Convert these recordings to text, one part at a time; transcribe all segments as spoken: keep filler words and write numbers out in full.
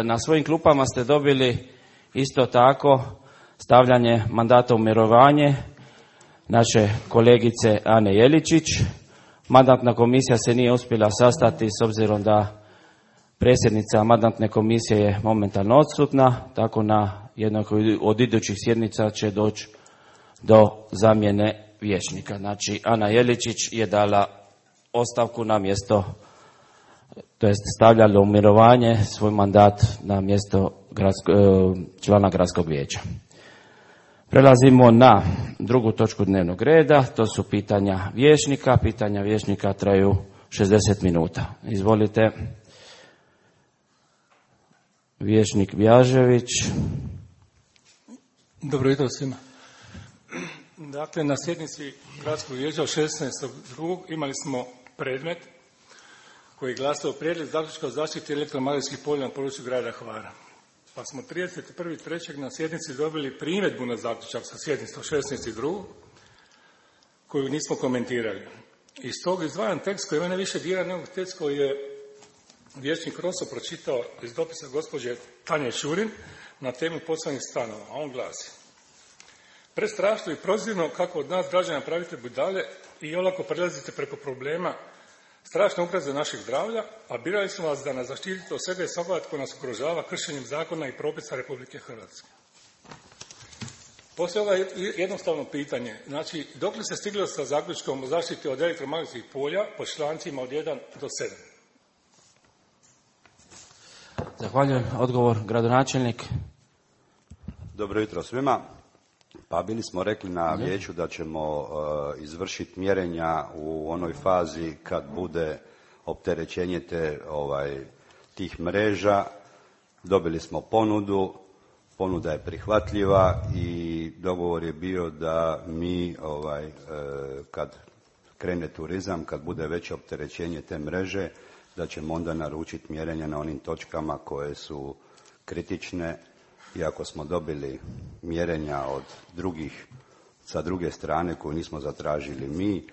na svojim klupama ste dobili isto tako stavljanje mandata u mirovanje naše kolegice Ane Jeličić. Mandatna komisija se nije uspjela sastati s obzirom da predsjednica mandatne komisije je momentalno odsutna, tako na jednoj od idućih sjednica će doći do zamjene vijećnika. Znači, Ana Jeličić je dala ostavku na mjesto, to jest stavljala u mirovanje svoj mandat na mjesto gradsko, člana gradskog vijeća. Prelazimo na drugu točku dnevnog reda, to su pitanja vijećnika. Pitanja vijećnika traju šezdeset minuta. Izvolite. Vijećnik Bjažević. Dobro jutro svima. Dakle, na sjednici gradskog vijeća od šesnaestog drugog imali smo predmet koji je glasao prijedlog zaključka o zaštiti elektromagnetskih polja na području grada Hvara. Pa smo trideset prvog trećeg na sjednici dobili primjedbu na zaključak sa sjednice od šesnaestog drugog koju nismo komentirali. Iz tog izdvajan tekst koji mene više dira nego tekst koji je vijećnik Roso pročitao iz dopisa gospođe Tanje Šurin na temu poslovnih stanova, a on glasi: prestrašno i prozirno kako od nas građana pravite budale i olako prelazite preko problema strašne ugroze našeg zdravlja, a birali smo vas da nas zaštitite od svega i svakoga tko nas ugrožava kršenjem zakona i propisa Republike Hrvatske. Poslije ovo jednostavno pitanje, znači dok li se stiglo sa zaključkom o zaštiti od elektromagnetskih polja po člancima od jedan do sedam? Zahvaljujem. Odgovor, gradonačelnik. Dobro jutro svima. Pa bili smo rekli na vijeću da ćemo uh, izvršiti mjerenja u onoj fazi kad bude opterećenje te, ovaj, tih mreža. Dobili smo ponudu, ponuda je prihvatljiva i dogovor je bio da mi ovaj, uh, kad krene turizam, kad bude veće opterećenje te mreže, da ćemo onda naručiti mjerenja na onim točkama koje su kritične. Iako smo dobili mjerenja od drugih, sa druge strane koju nismo zatražili mi,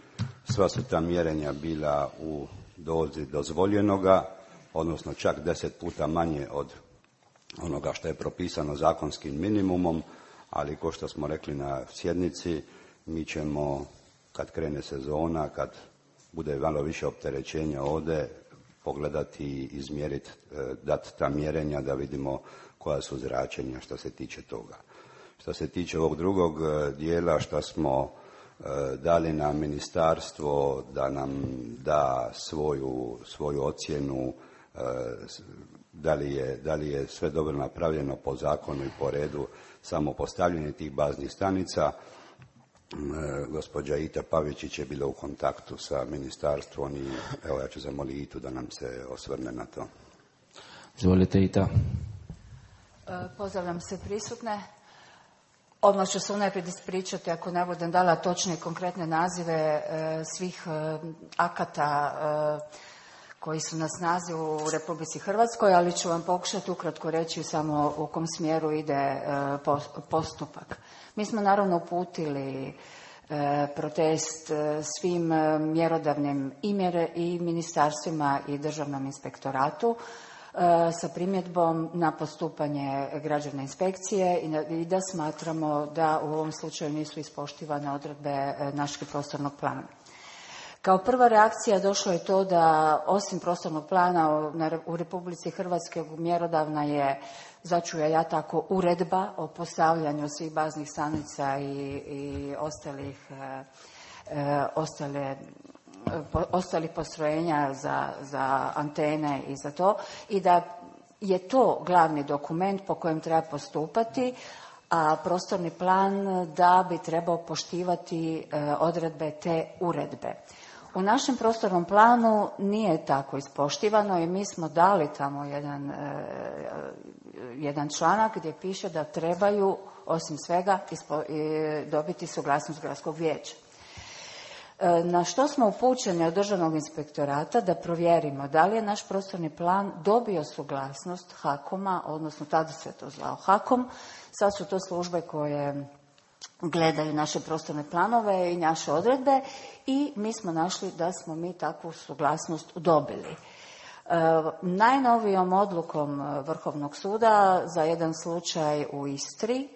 sva su ta mjerenja bila u dozi dozvoljenoga, odnosno čak deset puta manje od onoga što je propisano zakonskim minimumom, ali ko što smo rekli na sjednici, mi ćemo kad krene sezona, kad bude malo više opterećenja ovdje, pogledati i izmjeriti, dati ta mjerenja da vidimo koja su zračenja što se tiče toga. Što se tiče ovog drugog dijela što smo dali na ministarstvo da nam da svoju, svoju ocjenu da li, je, da li je sve dobro napravljeno po zakonu i po redu samo postavljanje tih baznih stanica. Gospođa Ita Pavičić je bila u kontaktu sa ministarstvom i evo ja ću zamoliti Itu da nam se osvrne na to. Izvolite Ita. Pozdravljam sve prisutne. Odmah ću se unaprijed ispričati ako ne budem dala točne i konkretne nazive svih akata koji su na snazi u Republici Hrvatskoj, ali ću vam pokušati ukratko reći samo u kom smjeru ide postupak. Mi smo naravno uputili protest svim mjerodavnim i ministarstvima i državnom inspektoratu sa primjedbom na postupanje građevne inspekcije i da smatramo da u ovom slučaju nisu ispoštivane odredbe našeg prostornog plana. Kao prva reakcija došlo je to da osim prostornog plana u Republici Hrvatskoj mjerodavna je, začu ja tako, uredba o postavljanju svih baznih stanica i, i ostalih, e, ostale ostalih postrojenja za, za antene i za to, i da je to glavni dokument po kojem treba postupati, a prostorni plan da bi trebao poštivati odredbe te uredbe. U našem prostornom planu nije tako ispoštivano i mi smo dali tamo jedan, jedan članak gdje piše da trebaju osim svega dobiti suglasnost gradskog vijeća. Na što smo upućeni od Državnog inspektorata da provjerimo da li je naš prostorni plan dobio suglasnost HAKOM-a, odnosno tada se to zvao HAKOM, sad su to službe koje gledaju naše prostorne planove i naše odredbe i mi smo našli da smo mi takvu suglasnost dobili. Najnovijom odlukom Vrhovnog suda za jedan slučaj u Istri,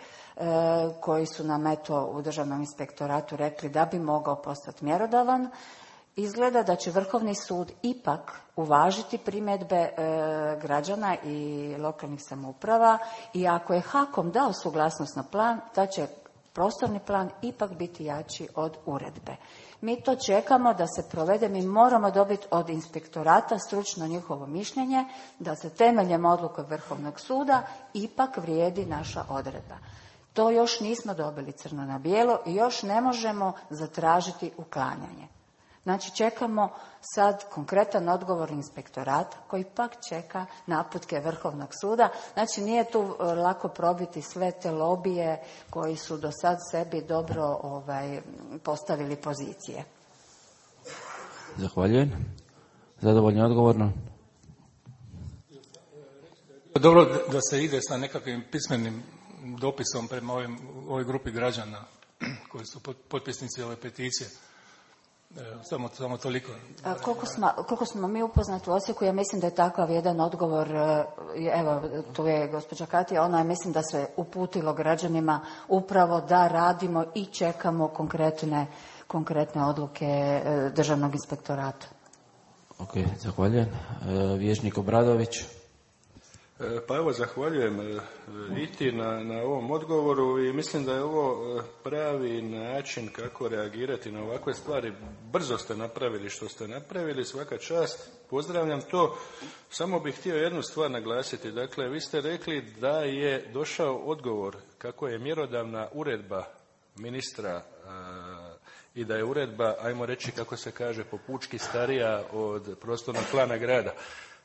koji su nam eto u Državnom inspektoratu rekli da bi mogao postati mjerodavan, izgleda da će Vrhovni sud ipak uvažiti primjedbe građana i lokalnih samouprava i ako je HAKOM dao suglasnost na plan, da će prostorni plan ipak biti jači od uredbe. Mi to čekamo da se provede, mi moramo dobiti od inspektorata stručno njihovo mišljenje da se temeljem odluke Vrhovnog suda ipak vrijedi naša odredba. To još nismo dobili crno na bijelo i još ne možemo zatražiti uklanjanje. Znači čekamo sad konkretan odgovor inspektorata koji pak čeka naputke Vrhovnog suda. Znači nije tu lako probiti sve te lobije koji su do sad sebi dobro ovaj, postavili pozicije. Zahvaljujem. Zadovoljni odgovorno? Dobro da se ide sa nekakvim pismenim dopisom prema ovim, ovoj grupi građana koji su potpisnici ove peticije. Samo, samo toliko. A koliko, smo, koliko smo mi upoznati u Osijeku, ja mislim da je takav jedan odgovor, evo tu je gospođa Katija, ona je mislim da se uputilo građanima upravo da radimo i čekamo konkretne, konkretne odluke Državnog inspektorata. Ok, zahvaljujem. Vijećnik Obradović. Pa evo, zahvaljujem Iti na, na ovom odgovoru i mislim da je ovo pravi način kako reagirati na ovakve stvari. Brzo ste napravili što ste napravili, svaka čast, pozdravljam to. Samo bih htio jednu stvar naglasiti. Dakle, vi ste rekli da je došao odgovor kako je mjerodavna uredba ministra a, i da je uredba, ajmo reći kako se kaže, po pučki starija od prostornog plana grada.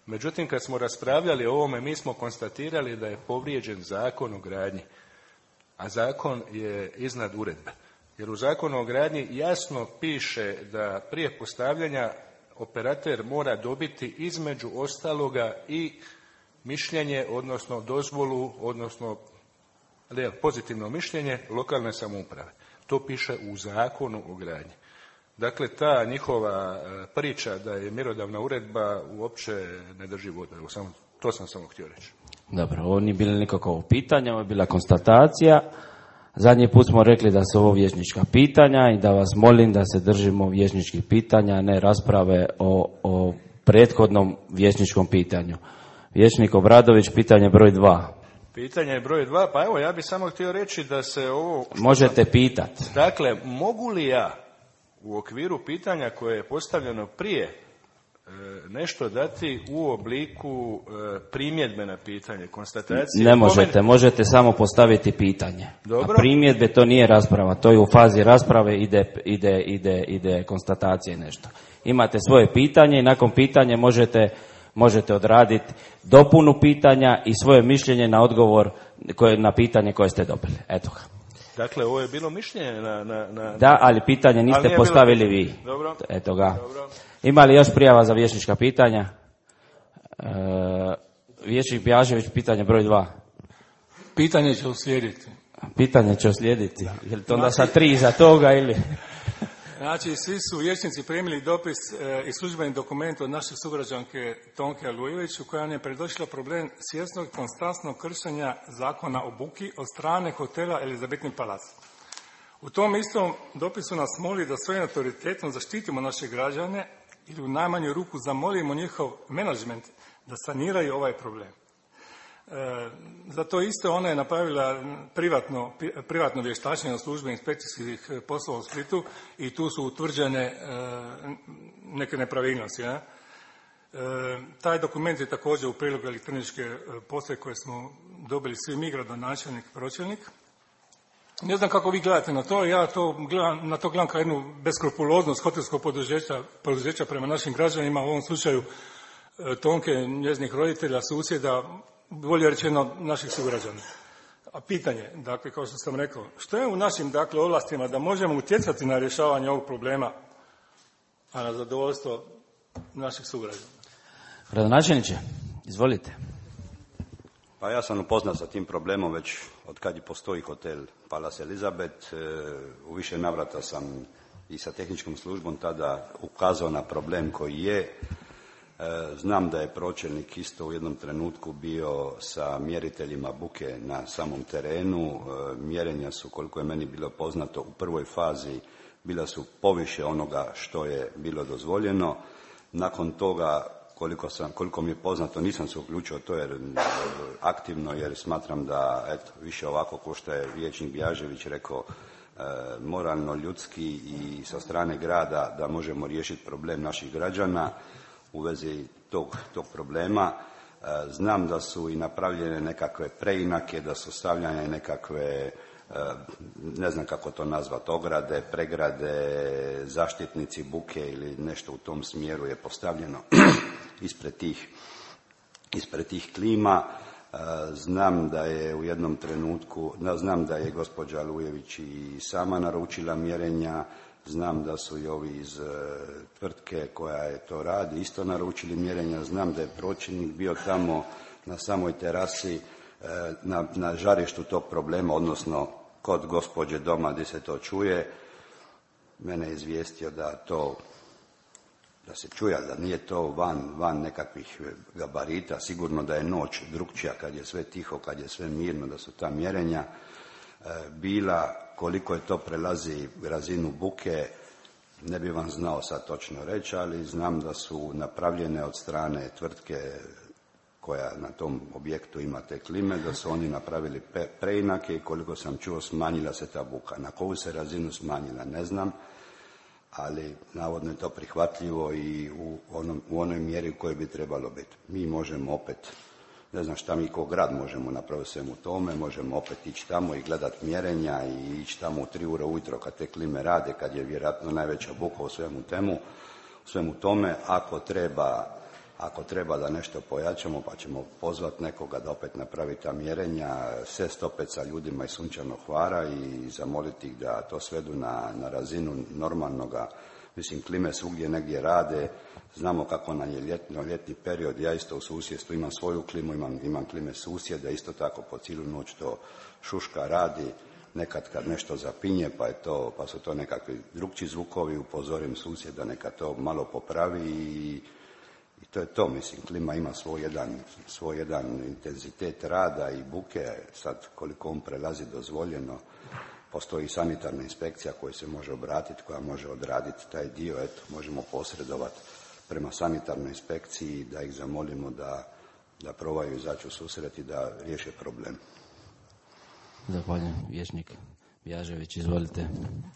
Međutim, kad smo raspravljali o ovome, mi smo konstatirali da je povrijeđen Zakon o gradnji, a zakon je iznad uredbe. Jer u Zakonu o gradnji jasno piše da prije postavljanja operater mora dobiti između ostaloga i mišljenje, odnosno dozvolu, odnosno pozitivno mišljenje lokalne samouprave. To piše u Zakonu o gradnji. Dakle, ta njihova priča da je mjerodavna uredba uopće ne drži vodu. Evo, samo, to sam samo htio reći. Dobro, ovo nije bilo nikakvo pitanje, ovo je bila konstatacija. Zadnji put smo rekli da su ovo vijećnička pitanja i da vas molim da se držimo vijećničkih pitanja, a ne rasprave o, o prethodnom vijećničkom pitanju. Vijećnik Obradović, pitanje broj dva. Pitanje je broj dva, pa evo, ja bih samo htio reći da se ovo... Možete sam... pitati. Dakle, mogu li ja u okviru pitanja koje je postavljeno prije e, nešto dati u obliku e, primjedbe na pitanje, konstatacije? Ne možete, Pomen... možete samo postaviti pitanje. Dobro. A primjedbe to nije rasprava, to je u fazi rasprave, ide, ide, ide, ide konstatacije nešto. Imate svoje pitanje i nakon pitanja možete, možete odraditi dopunu pitanja i svoje mišljenje na odgovor koje, na pitanje koje ste dobili. Eto ga. Dakle, ovo je bilo mišljenje na... na, na... Da, ali pitanje niste ali postavili bilo... vi. Dobro. Eto ga. Dobro. Ima li još prijava za vijećnička pitanja? E, vijećnik Bjažević, pitanje broj dva. Pitanje će uslijediti. Pitanje će uslijediti. Je li to onda sa tri iza toga ili... Znači, svi su vijećnici primili dopis e, i službeni dokument od naše sugrađanke Tonke Alujević u kojoj je predočila problem svjesnog konstantnog kršenja zakona o buki od strane hotela Elizabetni palac. U tom istom dopisu nas moli da svojim autoritetom zaštitimo naše građane ili u najmanju ruku zamolimo njihov menadžment da saniraju ovaj problem. E, za to isto ona je napravila privatno, privatno vještačenje u službi inspekcijskih poslova u Splitu i tu su utvrđene e, neke nepravilnosti. Ja? E, taj dokument je također u prilogu elektroničke postaje koje smo dobili svi mi, gradonačelnik, pročelnik. Ne znam kako vi gledate na to, ja to gledam, na to gledam kao jednu beskrupuloznost hotelskog poduzeća, poduzeća prema našim građanima, u ovom slučaju e, Tonke, njezinih roditelja, susjeda, bolje rečeno naših sugrađana. A pitanje, dakle, kao što sam rekao, što je u našim, dakle, ovlastima da možemo utjecati na rješavanje ovog problema, a na zadovoljstvo naših sugrađana? Gradonačelniče, izvolite. Pa ja sam upoznat sa tim problemom već od kad je postoji hotel Palace Elizabeth. U više navrata sam i sa tehničkom službom tada ukazao na problem koji je. Znam da je pročelnik isto u jednom trenutku bio sa mjeriteljima buke na samom terenu. Mjerenja su, koliko je meni bilo poznato, u prvoj fazi bila su poviše onoga što je bilo dozvoljeno. Nakon toga, koliko, sam, koliko mi je poznato, nisam se uključio to jer aktivno, jer smatram da eto, više ovako ko što je vijećnik Bjažević rekao, moralno, ljudski i sa strane grada da možemo riješiti problem naših građana u vezi tog, tog problema. Znam da su i napravljene nekakve preinake, da su stavljane nekakve, ne znam kako to nazvati, ograde, pregrade, zaštitnici buke ili nešto u tom smjeru je postavljeno ispred tih, ispred tih klima. Znam da je u jednom trenutku, znam da je gospođa Lujević i sama naručila mjerenja, znam da su i ovi iz tvrtke koja je to radi isto naručili mjerenja, znam da je pročelnik bio tamo na samoj terasi na, na žarištu tog problema, odnosno kod gospođe doma gdje se to čuje. Mene je izvijestio da to, da se čuje, da nije to van, van nekakvih gabarita, sigurno da je noć drukčija kad je sve tiho, kad je sve mirno, da su ta mjerenja bila. Koliko je to prelazi razinu buke, ne bi vam znao sad točno reći, ali znam da su napravljene od strane tvrtke koja na tom objektu ima te klime, da su oni napravili preinake i koliko sam čuo smanjila se ta buka. Na koju se razinu smanjila ne znam, ali navodno je to prihvatljivo i u, onom, u onoj mjeri u kojoj bi trebalo biti. Mi možemo opet, ne znam šta mi kao grad možemo napraviti svemu tome, možemo opet ići tamo i gledati mjerenja i ići tamo u tri ure ujutro kad te klime rade, kad je vjerojatno najveća buka u svemu, temu, u svemu tome. Ako treba, ako treba da nešto pojačamo, pa ćemo pozvati nekoga da opet napravi ta mjerenja, sjest opet sa ljudima iz Sunčanog Hvara i zamoliti ih da to svedu na, na razinu normalnoga. Mislim, klime svugdje negdje rade, znamo kako nam je ljetno, ljetni period, ja isto u susjedstvu imam svoju klimu, imam, imam klime susjeda, isto tako po cijelu noć to šuška radi, nekad kad nešto zapinje pa, je to, pa su to nekakvi drukčiji zvukovi, upozorim susjeda neka to malo popravi i, i to je to, mislim, klima ima svoj jedan, svoj jedan intenzitet rada i buke, sad koliko on prelazi dozvoljeno. Postoji sanitarna inspekcija koja se može obratiti, koja može odraditi taj dio, eto, možemo posredovati prema sanitarnoj inspekciji da ih zamolimo da, da probaju izaći u susret i da riješe problem. Zahvaljujem. Vijećnik Bjažević, izvolite.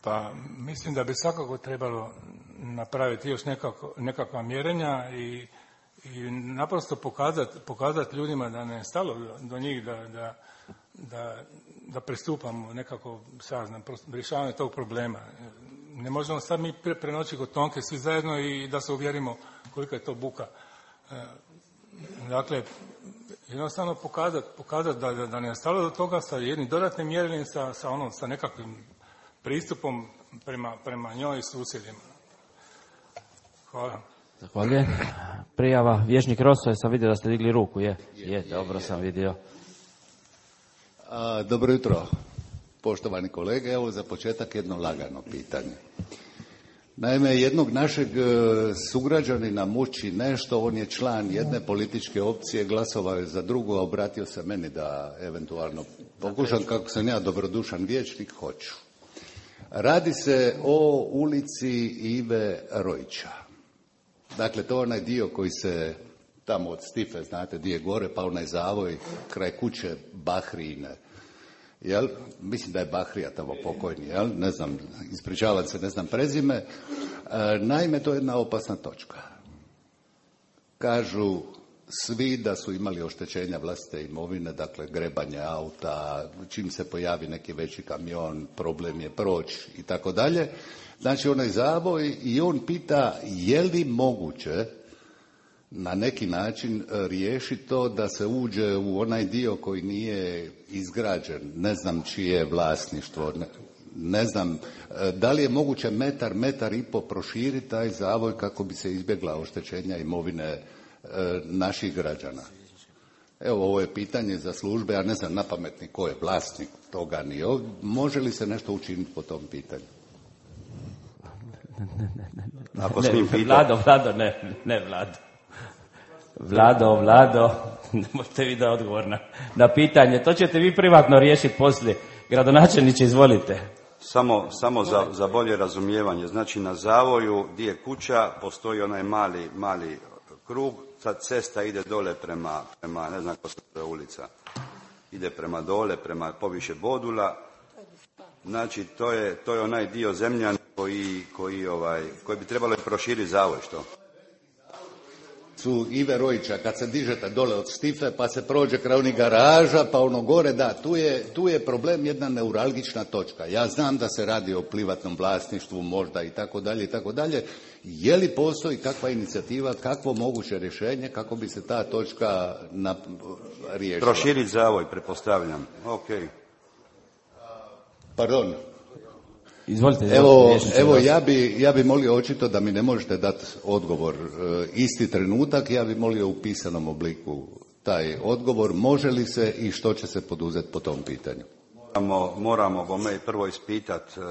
Pa mislim da bi svakako trebalo napraviti još nekako, nekakva mjerenja i, i naprosto pokazati, pokazati ljudima da ne je stalo do njih, da, da, da, da pristupamo nekako saznam, rješavanje tog problema. Ne možemo sad mi prenoći kod Tonke svi zajedno i da se uvjerimo kolika je to buka. Dakle, jednostavno pokazati, pokazati da, da ne je stalo do toga sa jednim dodatnim mjerenjem, sa, sa, ono, sa nekakvim pristupom prema, prema njoj i susjedima. Hvala. Zahvaljujem. Prijava, vijećnik Roso, sam vidio da ste digli ruku, je? Je, je dobro sam vidio. A, dobro jutro, poštovani kolege. Evo za početak jedno lagano pitanje. Naime, jednog našeg sugrađanina muči nešto, on je član jedne političke opcije, glasovao je za drugu, a obratio se meni da eventualno pokušam, kako sam ja dobrodušan vijećnik, hoću. Radi se o ulici Ive Rojića. Dakle, to je onaj dio koji se tamo od Stife, znate, di je gore, pa onaj zavoj kraj kuće Bahrine. Jel? Mislim da je Bahrija tamo pokojni, jel? Ne znam, ispričavam se, ne znam prezime. E, naime, to je jedna opasna točka. Kažu svi da su imali oštećenja vlastite imovine, dakle grebanje auta, čim se pojavi neki veći kamion, problem je proći i tako dalje. Znači onaj zavoj i on pita je li moguće na neki način riješiti to da se uđe u onaj dio koji nije izgrađen, ne znam čije je vlasništvo, ne, ne znam da li je moguće metar, metar i po proširiti taj zavoj kako bi se izbjegla oštećenja imovine e, naših građana. Evo, ovo je pitanje za službe, ja ne znam napametni ko je vlasnik toga ni ovdje. Može li se nešto učiniti po tom pitanju? Ne, ne, ne, ne. Ako smijem pitati. Vlado, Vlado, ne, ne, Vlado. Vlado, Vlado, ne možete vi da odgovor na, na pitanje. To ćete vi privatno riješiti poslije. Gradonačelniče, izvolite. Samo, samo za, za bolje razumijevanje. Znači na zavoju gdje je kuća postoji onaj mali, mali krug, sad cesta ide dole prema, prema ne znam ko se zove ulica, ide prema dole, prema poviše Bodula. Znači to je, to je onaj dio Zemljana koji, koji, ovaj, koji bi trebalo proširiti zavoj, što? Su Ive Rojića, kad se dižete dole od Stife, pa se prođe kraj onih garaža, pa ono gore, da, tu je, tu je problem jedna neuralgična točka. Ja znam da se radi o privatnom vlasništvu, možda i tako dalje i tako dalje. Je li postoji kakva inicijativa, kakvo moguće rješenje kako bi se ta točka na, riješila? Proširiti zavoj, pretpostavljam. Ok. Pardon. Izvolite, izvolite, evo, vječniče, evo da. ja bi, ja bi molio očito da mi ne možete dati odgovor e, isti trenutak, ja bi molio u pisanom obliku taj odgovor, može li se i što će se poduzeti po tom pitanju? Moramo, moramo bome prvo ispitati e,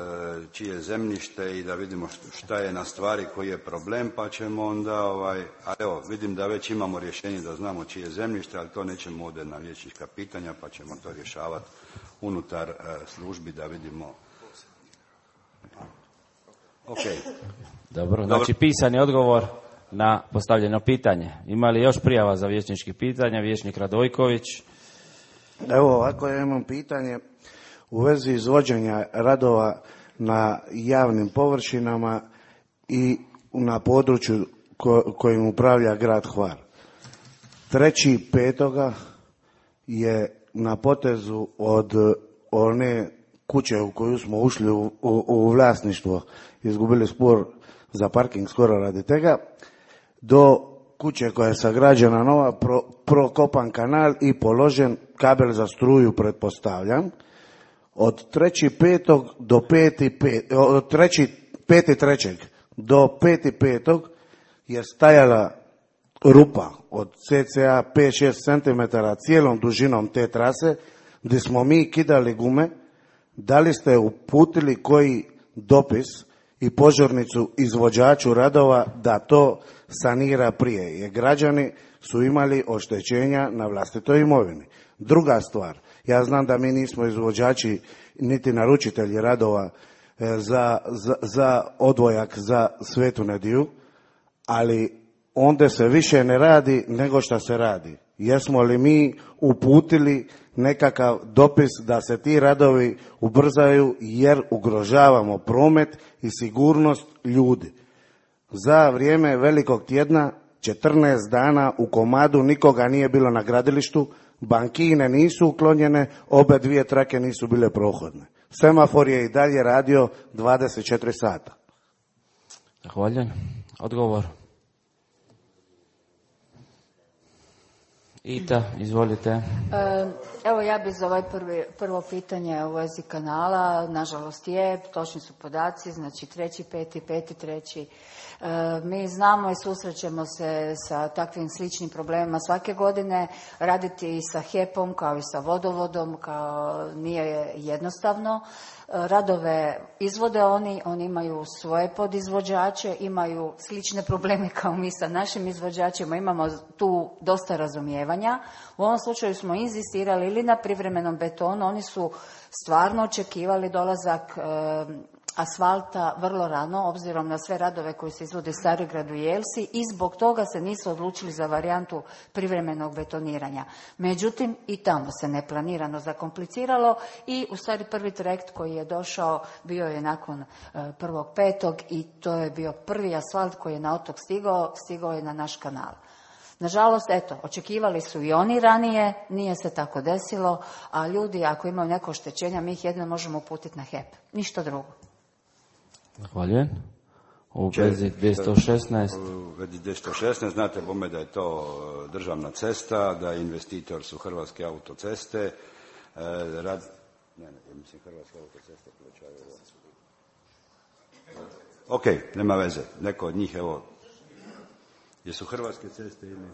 čije zemljište i da vidimo šta je na stvari koji je problem, pa ćemo onda, ovaj, a evo, vidim da već imamo rješenje da znamo čije zemljište, ali to nećemo ovdje na vijećnička pitanja, pa ćemo to rješavati unutar e, službi da vidimo. Okay. Dobro, znači pisani odgovor na postavljeno pitanje. Ima li još prijava za vijećnički pitanja? Vijećnik Radojković. Evo ovako, ja imam pitanje u vezi izvođenja radova na javnim površinama i na području ko, kojim upravlja grad Hvar. Treći petoga je na potezu od one kuće u koju smo ušli u, u, u vlasništvo, izgubili spor za parking skoro radi tega, do kuće koja je sagrađena nova, pro, prokopan kanal i položen kabel za struju, pretpostavljam. Od treći petog do peti pet, od treći, peti trećeg do peti petog je stajala rupa od cca pet do šest centimetara cijelom dužinom te trase, gdje smo mi kidali gume. Da li ste uputili koji dopis i požurnicu izvođaču radova da to sanira prije? Jer građani su imali oštećenja na vlastitoj imovini. Druga stvar, ja znam da mi nismo izvođači niti naručitelji radova za, za, za odvojak za Svetu Nediju, ali onda se više ne radi nego što se radi. Jesmo li mi uputili nekakav dopis da se ti radovi ubrzaju jer ugrožavamo promet i sigurnost ljudi? Za vrijeme Velikog tjedna četrnaest dana u komadu nikoga nije bilo na gradilištu, bankine nisu uklonjene, obe dvije trake nisu bile prohodne. Semafor je i dalje radio dvadeset četiri sata. Zahvaljujem. Odgovor. Ita, izvolite. Evo ja bi za ovaj prvi, prvo pitanje u vezi kanala, nažalost je, točni su podaci, znači treći, peti, peti, treći. Mi znamo i susrećemo se sa takvim sličnim problemima svake godine, raditi sa H E P-om kao i sa vodovodom kao nije jednostavno. Radove izvode oni, oni imaju svoje podizvođače, imaju slične probleme kao mi sa našim izvođačima, imamo tu dosta razumijevanja. U ovom slučaju smo inzistirali ili na privremenom betonu, oni su stvarno očekivali dolazak e, asfalta vrlo rano, obzirom na sve radove koji se izvode u Starigradu i Jelsi, i zbog toga se nisu odlučili za varijantu privremenog betoniranja. Međutim, i tamo se neplanirano zakompliciralo i u stvari prvi trajekt koji je došao bio je nakon prvog petog i to je bio prvi asfalt koji je na otok stigao, stigao je na naš kanal. Nažalost, eto, očekivali su i oni ranije, nije se tako desilo, a ljudi ako imaju neko oštećenja, mi ih jedno možemo uputiti na H E P, ništa drugo. Zahvaljujem. U vezi dvjesto šesnaest. U vezi dvjesto šesnaest, znate bome da je to državna cesta, da investitor su Hrvatske autoceste. E, rad... Ne, ne, mislim Hrvatske autoceste plaćaju. Ok, nema veze. Neko od njih, evo, jesu Hrvatske ceste ili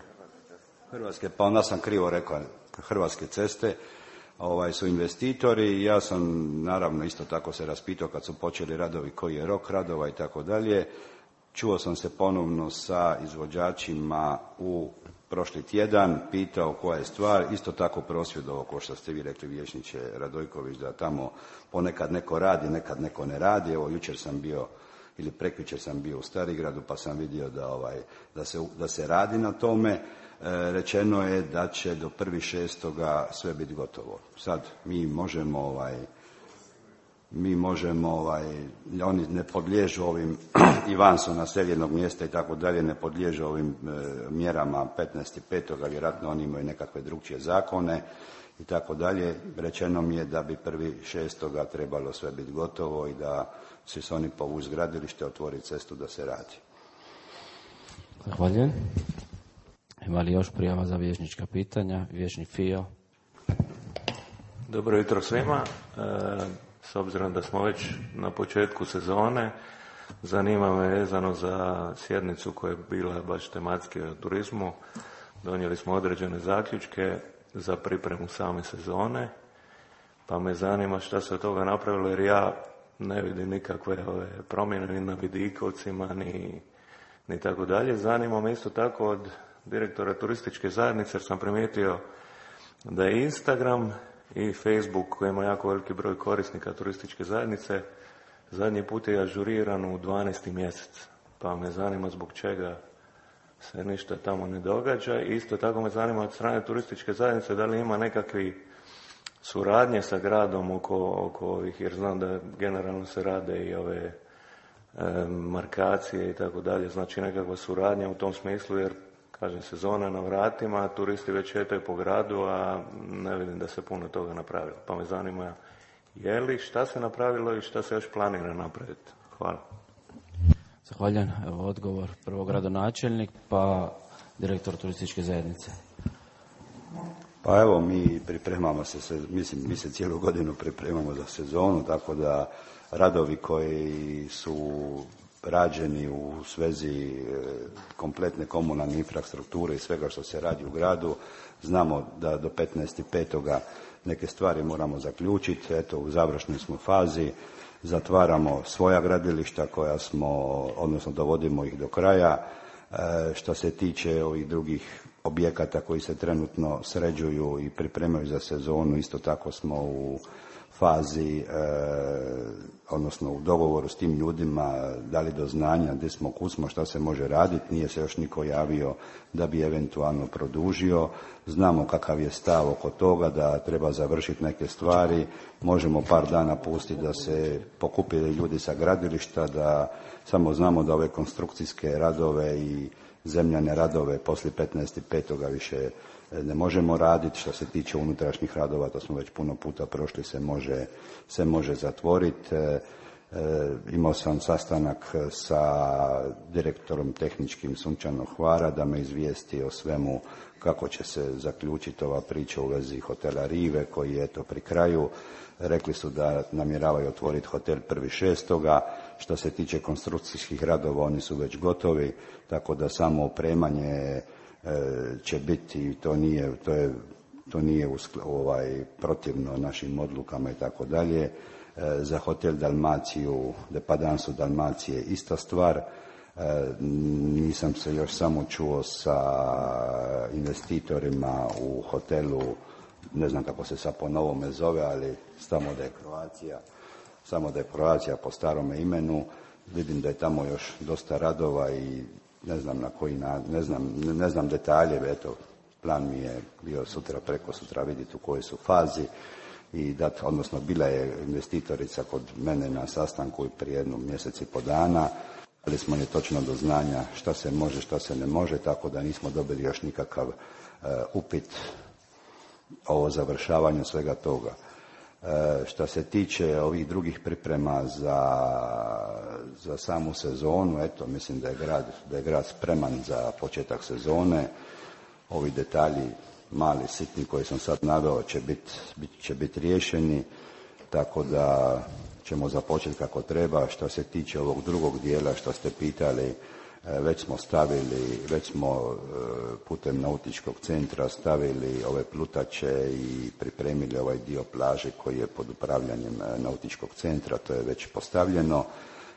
Hrvatske, pa onda sam krivo rekao, Hrvatske ceste. Ovaj, su investitori i ja sam naravno isto tako se raspitao kad su počeli radovi koji je rok radova i tako dalje. čuo sam se ponovno sa izvođačima u prošli tjedan, pitao koja je stvar, isto tako prosvjedovao, kao što ste vi rekli vijećniče Radojković, da tamo ponekad neko radi, nekad neko ne radi. Evo, jučer sam bio, ili prekjučer sam bio u Starigradu, pa sam vidio da, ovaj, da, se, da se radi na tome. E, rečeno je da će do prvi šestoga sve biti gotovo. Sad mi možemo, ovaj, mi možemo, ovaj, oni ne podliježu ovim, i van su naseljenog mjesta i tako dalje, ne podliježu ovim e, mjerama petnaesti petoga vjerojatno oni imaju nekakve drugčije zakone i tako dalje. Rečeno mi je da bi prvi šestoga trebalo sve biti gotovo i da će se oni povući gradilište, otvoriti cestu da se radi. Zahvaljujem. Ima li još prijava za vijećnička pitanja? Vijećnik Fio. Dobro jutro svima. E, s obzirom da smo već na početku sezone, zanima me vezano za sjednicu koja je bila baš tematski o turizmu. Donijeli smo određene zaključke za pripremu same sezone, pa me zanima šta se od toga napravilo, jer ja ne vidim nikakve ove promjene ni na vidikovcima, ni, ni tako dalje. Zanima me isto tako od direktora turističke zajednice, jer sam primijetio da je Instagram i Facebook, koji ima jako veliki broj korisnika turističke zajednice, zadnji put je ažuriran u dvanaesti mjesec. Pa me zanima zbog čega se ništa tamo ne događa. I isto tako me zanima od strane turističke zajednice da li ima nekakvi suradnje sa gradom oko, oko ovih, jer znam da generalno se rade i ove e, markacije i tako dalje, znači nekakva suradnja u tom smislu, jer kažem, sezona na vratima, turisti već šetaju po gradu, a ne vidim da se puno toga napravilo. Pa me zanima je li, šta se napravilo i šta se još planira napraviti. Hvala. Zahvaljujem. Evo odgovor prvo gradonačelnik, pa direktor turističke zajednice. Pa evo, mi pripremamo se, mislim, mi se cijelu godinu pripremamo za sezonu, tako da radovi koji su rađeni u svezi kompletne komunalne infrastrukture i svega što se radi u gradu, znamo da do petnaesti petoga neke stvari moramo zaključiti. Eto, u završnoj smo fazi, zatvaramo svoja gradilišta koja smo, odnosno dovodimo ih do kraja. E, što se tiče ovih drugih objekata koji se trenutno sređuju i pripremaju za sezonu, isto tako smo u fazi, e, odnosno u dogovoru s tim ljudima, dali do znanja gdje smo, kud smo, šta se može raditi. Nije se još niko javio da bi eventualno produžio. Znamo kakav je stav oko toga, da treba završiti neke stvari. Možemo par dana pustiti da se pokupili ljudi sa gradilišta, da samo znamo da ove konstrukcijske radove i zemljane radove poslije petnaesti petoga više ne možemo raditi. Što se tiče unutrašnjih radova, to smo već puno puta prošli, se može, se može zatvoriti. E, e, imao sam sastanak sa direktorom tehničkim Sunčanog Hvara da me izvijesti o svemu kako će se zaključiti ova priča u vezi hotela Rive koji je to pri kraju. Rekli su da namjeravaju otvoriti hotel prvi šestoga. Što se tiče konstrukcijskih radova, oni su već gotovi, tako da samo opremanje će biti, to nije, to je, to nije ovaj, protivno našim odlukama i tako dalje. Za hotel Dalmaciju, Depadansu Dalmacije ista stvar. Nisam se još samo čuo sa investitorima u hotelu, ne znam kako se sad po novome zove, ali samo da je Croatia, samo da je Croatia po starome imenu. Vidim da je tamo još dosta radova i ne znam na koji, na, ne znam, ne znam detalje, eto, plan mi je bio sutra, preko sutra vidjeti u kojoj su fazi i dat, odnosno bila je investitorica kod mene na sastanku prije jednu mjesec i po dana, ali smo je točno do znanja šta se može, šta se ne može, tako da nismo dobili još nikakav uh, upit o završavanju svega toga. E, što se tiče ovih drugih priprema za, za samu sezonu, eto, mislim da je grad, da je grad spreman za početak sezone. Ovi detalji, mali, sitni koji sam sad naveo, će biti bit, će biti riješeni, tako da ćemo započeti kako treba. Što se tiče ovog drugog dijela što ste pitali, već smo stavili, već smo putem nautičkog centra stavili ove plutače i pripremili ovaj dio plaže koji je pod upravljanjem nautičkog centra, to je već postavljeno.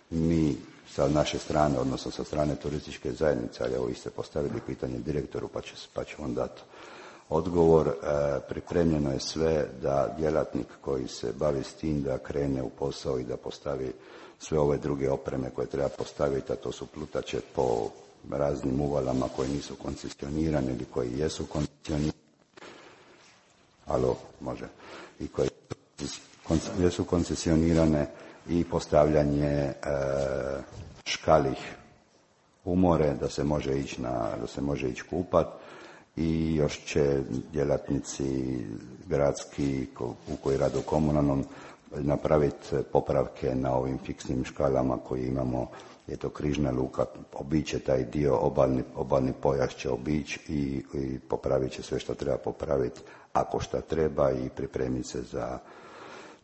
Mi sa naše strane, odnosno sa strane turističke zajednice, ali evo vi ste postavili pitanje direktoru pa će, pa će on dati odgovor. E, pripremljeno je sve da djelatnik koji se bavi s tim da krene u posao i da postavi sve ove druge opreme koje treba postaviti, a to su plutače po raznim uvalama koji nisu koncesionirani ili koji jesu koncesionirani. Alo, može. I koji jesu koncesionirane i postavljanje e, škalih u more da se može ići na, da se može ići kupat i još će djelatnici gradski u koji rade u komunalnom napraviti popravke na ovim fiksnim škalama koji imamo, je to križna luka, obiće taj dio, obalni, obalni pojas će obići i, i popravit će sve što treba popraviti ako šta treba i pripremiti se za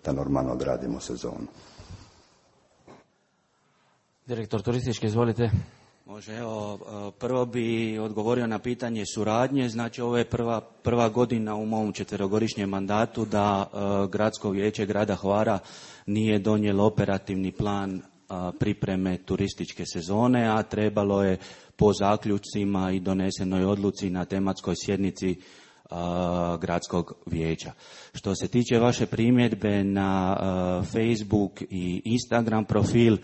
da normalno odradimo sezonu. Direktor turistički, izvolite. Može, evo, prvo bi odgovorio na pitanje suradnje. Znači, ovo je prva, prva godina u mom četverogodišnjem mandatu da uh, Gradsko vijeće grada Hvara nije donijelo operativni plan uh, pripreme turističke sezone, a trebalo je po zaključcima i donesenoj odluci na tematskoj sjednici Gradskog vijeća. Što se tiče vaše primjedbe na uh, Facebook i Instagram profil uh,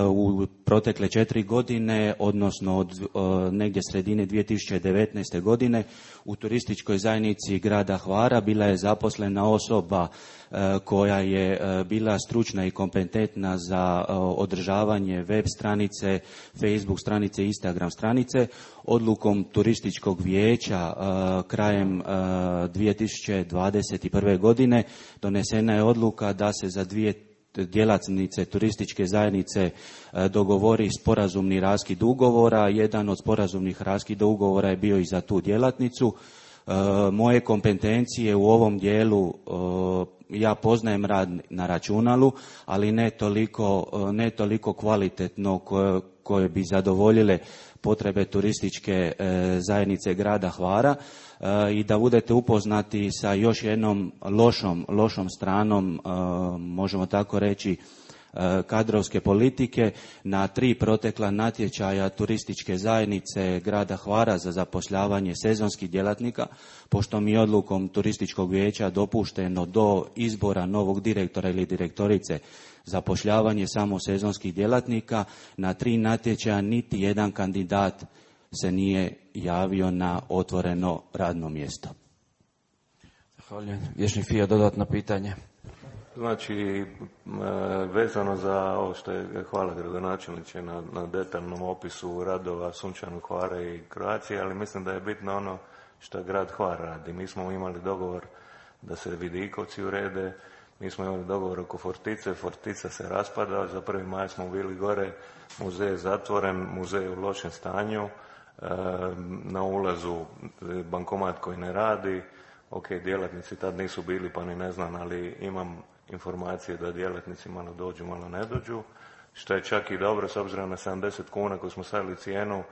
u protekle četiri godine, odnosno od uh, negdje sredine dvije tisuće devetnaeste. godine, u turističkoj zajednici grada Hvara bila je zaposlena osoba uh, koja je uh, bila stručna i kompetentna za uh, održavanje web stranice, Facebook stranice, Instagram stranice. Odlukom turističkog vijeća uh, krajem uh, dvije tisuće dvadeset prve. godine donesena je odluka da se za dvije djelatnice turističke zajednice uh, dogovori sporazumni raskid ugovora. Jedan od sporazumnih raskida ugovora je bio i za tu djelatnicu. Uh, moje kompetencije u ovom dijelu, uh, ja poznajem rad na računalu, ali ne toliko, uh, ne toliko kvalitetno koje, koje bi zadovoljile potrebe turističke e, zajednice grada Hvara e, i da budete upoznati sa još jednom lošom, lošom stranom, e, možemo tako reći, e, kadrovske politike. Na tri protekla natječaja turističke zajednice grada Hvara za zapošljavanje sezonskih djelatnika, pošto mi odlukom turističkog vijeća dopušteno do izbora novog direktora ili direktorice zapošljavanje samo sezonskih djelatnika, na tri natječaja niti jedan kandidat se nije javio na otvoreno radno mjesto. Zahvaljujem. Vječni Fija, dodatno pitanje. Znači, vezano za ovo što je, hvala gradonačelniče na, na detaljnom opisu radova Sunčanog Hvara i Croacije, ali mislim da je bitno ono što grad Hvar radi. Mi smo imali dogovor da se Vidikovci urede, mi smo imali dogovor oko Fortice, Fortica se raspada, za prvi maj smo bili gore, muzej je zatvoren, muzej je u lošem stanju, na ulazu bankomat koji ne radi, ok, djelatnici tad nisu bili pa ni ne znam, ali imam informacije da djelatnici malo dođu, malo ne dođu, što je čak i dobro s obzirom na sedamdeset kuna koju smo stavili cijenu,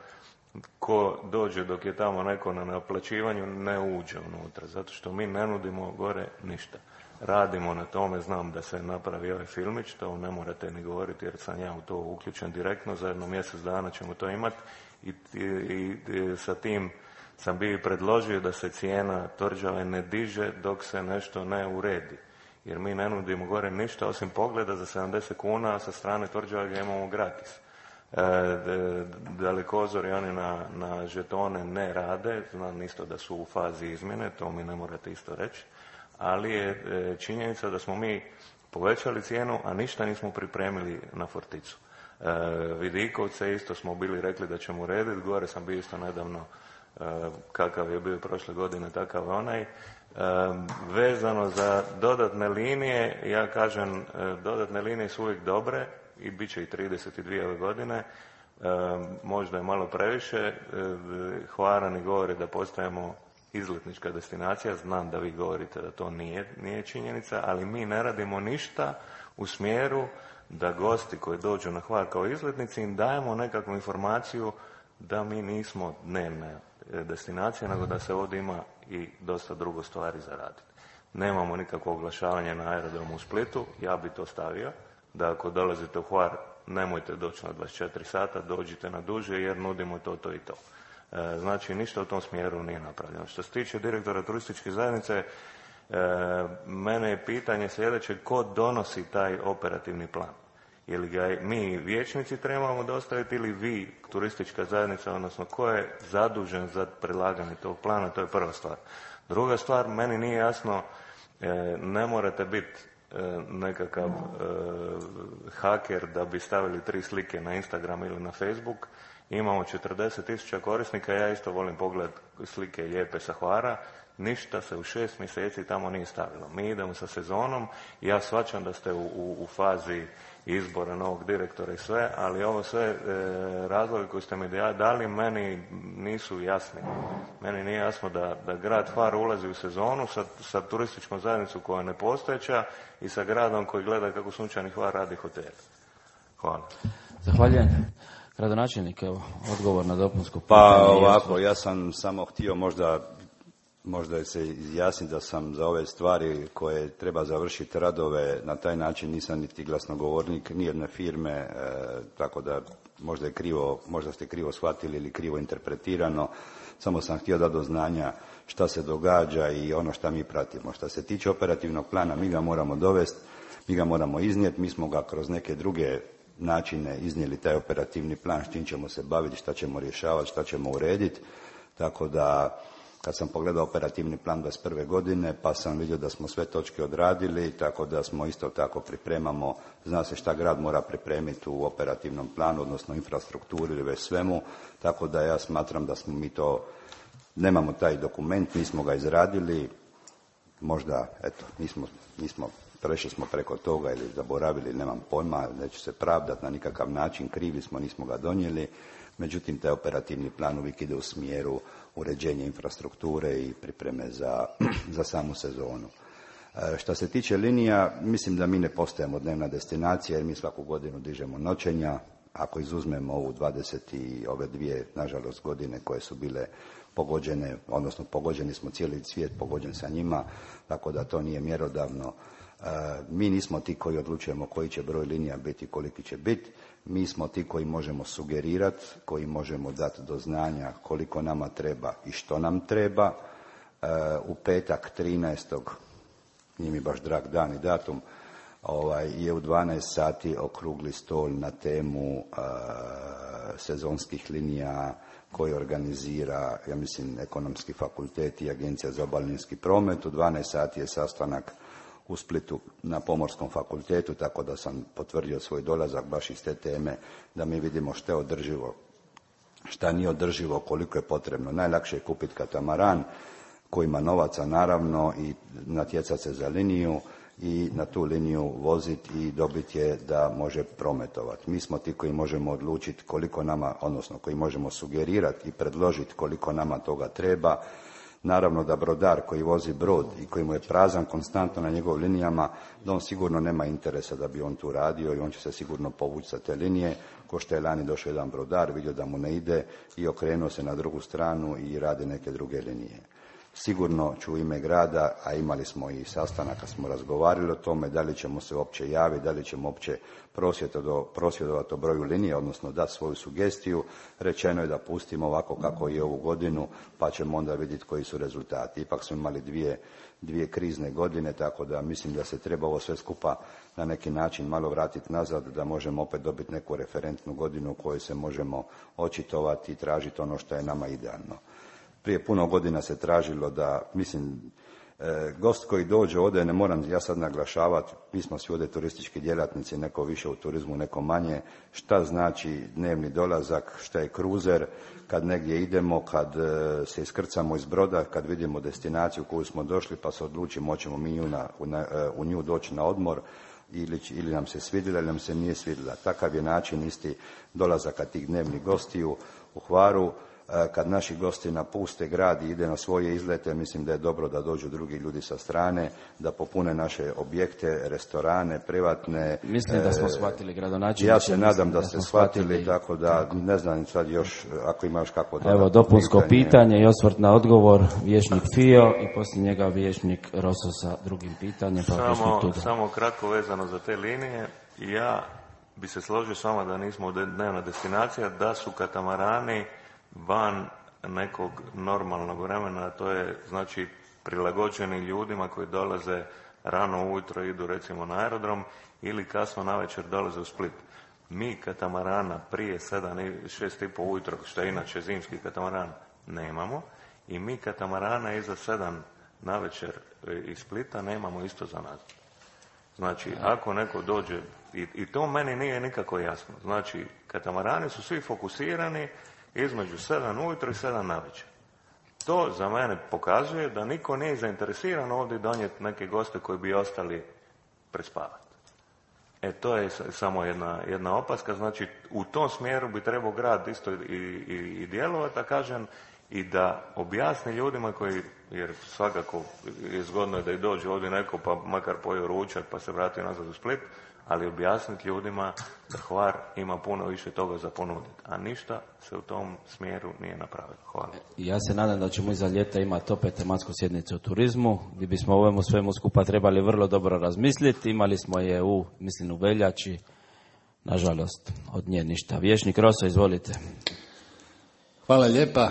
ko dođe dok je tamo neko na naplaćivanju ne uđe unutra, zato što mi ne nudimo gore ništa. Radimo na tome, znam da se napravi ovaj filmić, to ne morate ni govoriti jer sam ja u to uključen direktno, za jedno mjesec dana ćemo to imati i, i, i sa tim sam bio predložio da se cijena tvrđave ne diže dok se nešto ne uredi. Jer mi ne nudimo gore ništa osim pogleda za sedamdeset kuna, a sa strane tvrđave ga imamo gratis. E, dalekozori oni na, na žetone ne rade, znam isto da su u fazi izmjene, to mi ne morate isto reći, ali je e, činjenica da smo mi povećali cijenu, a ništa nismo pripremili na Forticu. E, Vidikovce isto smo bili rekli da ćemo urediti, gore sam bio isto nedavno, e, kakav je bio prošle godine, takav onaj. E, vezano za dodatne linije, ja kažem, e, dodatne linije su uvijek dobre i bit će i trideset dvije ove godine, e, možda je malo previše, e, Hvarani govore da postajemo izletnička destinacija, znam da vi govorite da to nije, nije činjenica, ali mi ne radimo ništa u smjeru da gosti koji dođu na Hvar kao izletnici im dajemo nekakvu informaciju da mi nismo dnevna destinacija, nego da se ovdje ima i dosta drugo stvari za raditi. Nemamo nikakvo oglašavanje na aerodromu u Splitu, ja bi to stavio, da ako dolazite u Hvar nemojte doći na dvadeset četiri sata, dođite na duže jer nudimo to, to i to. E, znači, ništa u tom smjeru nije napravljeno. Što se tiče direktora turističke zajednice, e, mene je pitanje sljedeće, ko donosi taj operativni plan? Ili ga mi vijećnici trebamo dostaviti ili vi, turistička zajednica, odnosno ko je zadužen za predlaganje tog plana, to je prva stvar. Druga stvar, meni nije jasno, e, ne morate biti e, nekakav e, haker da bi stavili tri slike na Instagram ili na Facebook. Imamo četrdeset tisuća korisnika, ja isto volim pogled slike lijepe sa Hvara. Ništa se u šest mjeseci tamo nije stavilo. Mi idemo sa sezonom, ja shvaćam da ste u, u, u fazi izbora novog direktora i sve, ali ovo sve e, razloge koje ste mi dali meni nisu jasni. Meni nije jasno da, da grad Hvar ulazi u sezonu sa, sa turističkom zajednicom koja je nepostojeća i sa gradom koji gleda kako Sunčani Hvar radi hotel. Hvala. Zahvaljujem. Gradonačelnik, evo, odgovor na dopunsko pitanje. Pa ovako, ja sam samo htio možda Možda se izjasniti da sam za ove stvari koje treba završiti radove, na taj način nisam niti glasnogovornik nijedne firme, e, tako da možda je krivo, možda ste krivo shvatili ili krivo interpretirano. Samo sam htio dati do znanja šta se događa i ono šta mi pratimo. Šta se tiče operativnog plana, mi ga moramo dovesti, mi ga moramo iznijeti, mi smo ga kroz neke druge načine iznijeli taj operativni plan, s čim ćemo se baviti, šta ćemo rješavati, šta ćemo urediti, tako da kad sam pogledao operativni plan dvadeset prve godine, pa sam vidio da smo sve točke odradili, tako da smo isto tako pripremamo, zna se šta grad mora pripremiti u operativnom planu, odnosno infrastrukturi ili već svemu, tako da ja smatram da smo mi to, nemamo taj dokument, nismo ga izradili, možda, eto, nismo, nismo, prešli smo preko toga ili zaboravili, nemam pojma, neću se pravdati na nikakav način, krivi smo, nismo ga donijeli, međutim, taj operativni plan uvijek ide u smjeru uređenja infrastrukture i pripreme za, za samu sezonu. E, što se tiče linija, mislim da mi ne postajemo dnevna destinacija jer mi svaku godinu dižemo noćenja. Ako izuzmemo ovu dvadeset i ove dvije, nažalost, godine koje su bile pogođene, odnosno pogođeni smo cijeli svijet pogođen sa njima, tako da to nije mjerodavno. E, mi nismo ti koji odlučujemo koji će broj linija biti, koliki će biti. Mi smo ti koji možemo sugerirati, koji možemo dati do znanja koliko nama treba i što nam treba. E, u petak trinaestog nije mi baš drag dan i datum, ovaj, je u dvanaest sati okrugli stol na temu e, sezonskih linija koji organizira, ja mislim, Ekonomski fakultet i Agencija za obalninski promet. U dvanaest sati je sastanak u Splitu na Pomorskom fakultetu, tako da sam potvrdio svoj dolazak baš iz te teme, da mi vidimo što je održivo, šta nije održivo, koliko je potrebno. Najlakše je kupiti katamaran koji ima novaca, naravno, i natjecati se za liniju i na tu liniju voziti i dobiti je da može prometovati. Mi smo ti koji možemo odlučiti koliko nama, odnosno koji možemo sugerirati i predložiti koliko nama toga treba. Naravno da brodar koji vozi brod i koji mu je prazan konstantno na njegovim linijama, da on sigurno nema interesa da bi on tu radio i on će se sigurno povući sa te linije. Ko što je lani došao jedan brodar, vidio da mu ne ide i okrenuo se na drugu stranu i radi neke druge linije. Sigurno ću u ime grada, a imali smo i sastanak kad smo razgovarali o tome da li ćemo se uopće javiti, da li ćemo uopće prosvjedovati o broju linije, odnosno dati svoju sugestiju. Rečeno je da pustimo ovako kako je ovu godinu, pa ćemo onda vidjeti koji su rezultati. Ipak smo imali dvije, dvije krizne godine, tako da mislim da se treba ovo sve skupa na neki način malo vratiti nazad, da možemo opet dobiti neku referentnu godinu u kojoj se možemo očitovati i tražiti ono što je nama idealno. Prije puno godina se tražilo da, mislim, e, gost koji dođe ovdje, ne moram ja sad naglašavati, mi smo svi ovdje turistički djelatnici, neko više u turizmu, neko manje, šta znači dnevni dolazak, šta je kruzer, kad negdje idemo, kad e, se iskrcamo iz broda, kad vidimo destinaciju u koju smo došli pa se odlučimo hoćemo mi nju na, u, na, u nju doći na odmor, ili, ili nam se svidjela ili nam se nije svidjela. Takav je način isti dolazaka tih dnevnih gostiju u Hvaru. Kad naši gosti napuste grad i ide na svoje izlete, mislim da je dobro da dođu drugi ljudi sa strane, da popune naše objekte, restorane, privatne. Mislim da smo shvatili, gradonačelniče. Ja se nadam da, da ste shvatili, shvatili, tako da tako. Ne znam sad još, ako imaš kako da... Evo, dopunsko pitanje. pitanje i osvrt na odgovor, vijećnik Fio i poslije njega vijećnik Roso sa drugim pitanjem. Pa samo, samo kratko vezano za te linije. Ja bi se složio s vama da nismo dnevna destinacija, da su katamarani van nekog normalnog vremena, to je znači prilagođeni ljudima koji dolaze rano ujutro, idu recimo na aerodrom ili kasno navečer dolaze u Split. Mi katamarana prije sedam, šest i po ujutro, što je inače zimski katamaran, nemamo i mi katamarana iza sedam navečer iz Splita nemamo isto za nas. Znači, ako neko dođe, i, i to meni nije nikako jasno, znači, katamarani su svi fokusirani između sedam ujutro i sedam navečer. To za mene pokazuje da niko nije zainteresiran ovdje donijeti neke goste koji bi ostali prespavati. E, to je samo jedna, jedna opaska, znači, u tom smjeru bi trebao grad isto i, i, i djelovati, a kažem, i da objasni ljudima koji, jer svakako je zgodno da i dođe ovdje neko pa makar pojeo ručak pa se vrati nazad u Split, ali objasniti ljudima da Hvar ima puno više toga za ponuditi, a ništa se u tom smjeru nije napravilo. Hvala. Ja se nadam da ćemo iza ljeta imati opet tematsku sjednicu o turizmu, gdje bismo ovemu svemu skupa trebali vrlo dobro razmisliti. Imali smo je u, mislim, u veljači, nažalost, od nje ništa. Vječnik Roso, izvolite. Hvala lijepa.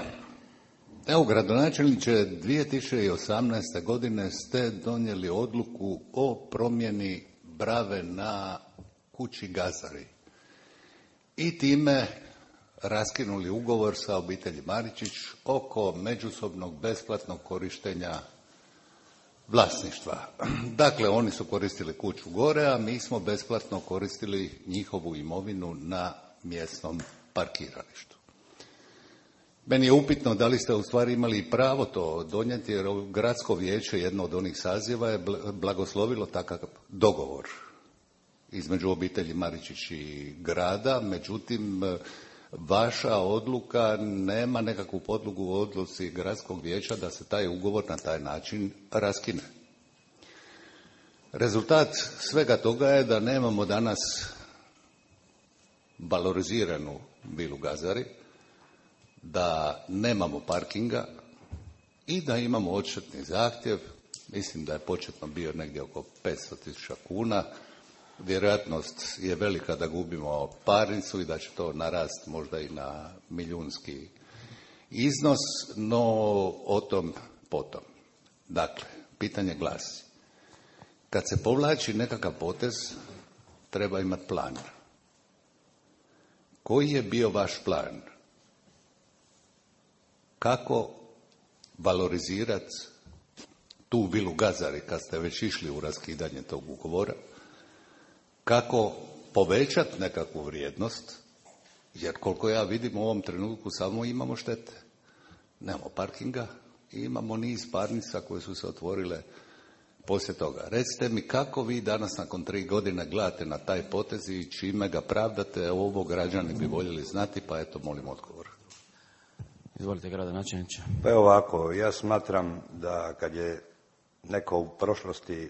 Evo, gradonačelniče, dvije tisuće osamnaeste. godine ste donijeli odluku o promjeni brave na kući Gazari i time raskinuli ugovor sa obitelji Maričić oko međusobnog besplatnog korištenja vlasništva. Dakle, oni su koristili kuću gore, a mi smo besplatno koristili njihovu imovinu na mjesnom parkiralištu. Meni je upitno da li ste u stvari imali pravo to donijeti, jer gradsko vijeće, jedno od onih saziva, je blagoslovilo takav dogovor između obitelji Maričić i grada, međutim, vaša odluka nema nekakvu podlogu u odluci gradskog vijeća da se taj ugovor na taj način raskine. Rezultat svega toga je da nemamo danas valoriziranu vilu Gazari, da nemamo parkinga i da imamo odštetni zahtjev, mislim da je početno bio negdje oko petsto tisuća kuna, vjerojatnost je velika da gubimo parnicu i da će to narast možda i na milijunski iznos, no o tom potom. Dakle, pitanje glasi, kad se povlači nekakav potez, treba imati plan. Koji je bio vaš plan? Kako valorizirati tu vilu Gazari kad ste već išli u raskidanje tog ugovora? Kako povećati nekakvu vrijednost? Jer koliko ja vidim u ovom trenutku samo imamo štete. Nemamo parkinga i imamo niz parnica koje su se otvorile poslije toga. Recite mi kako vi danas nakon tri godine gledate na taj potez i čime ga pravdate, ovo građani bi voljeli znati, pa eto molim odgovor. Izvolite, gradonačelniče. Pa evo ovako, ja smatram da kad je neko u prošlosti e,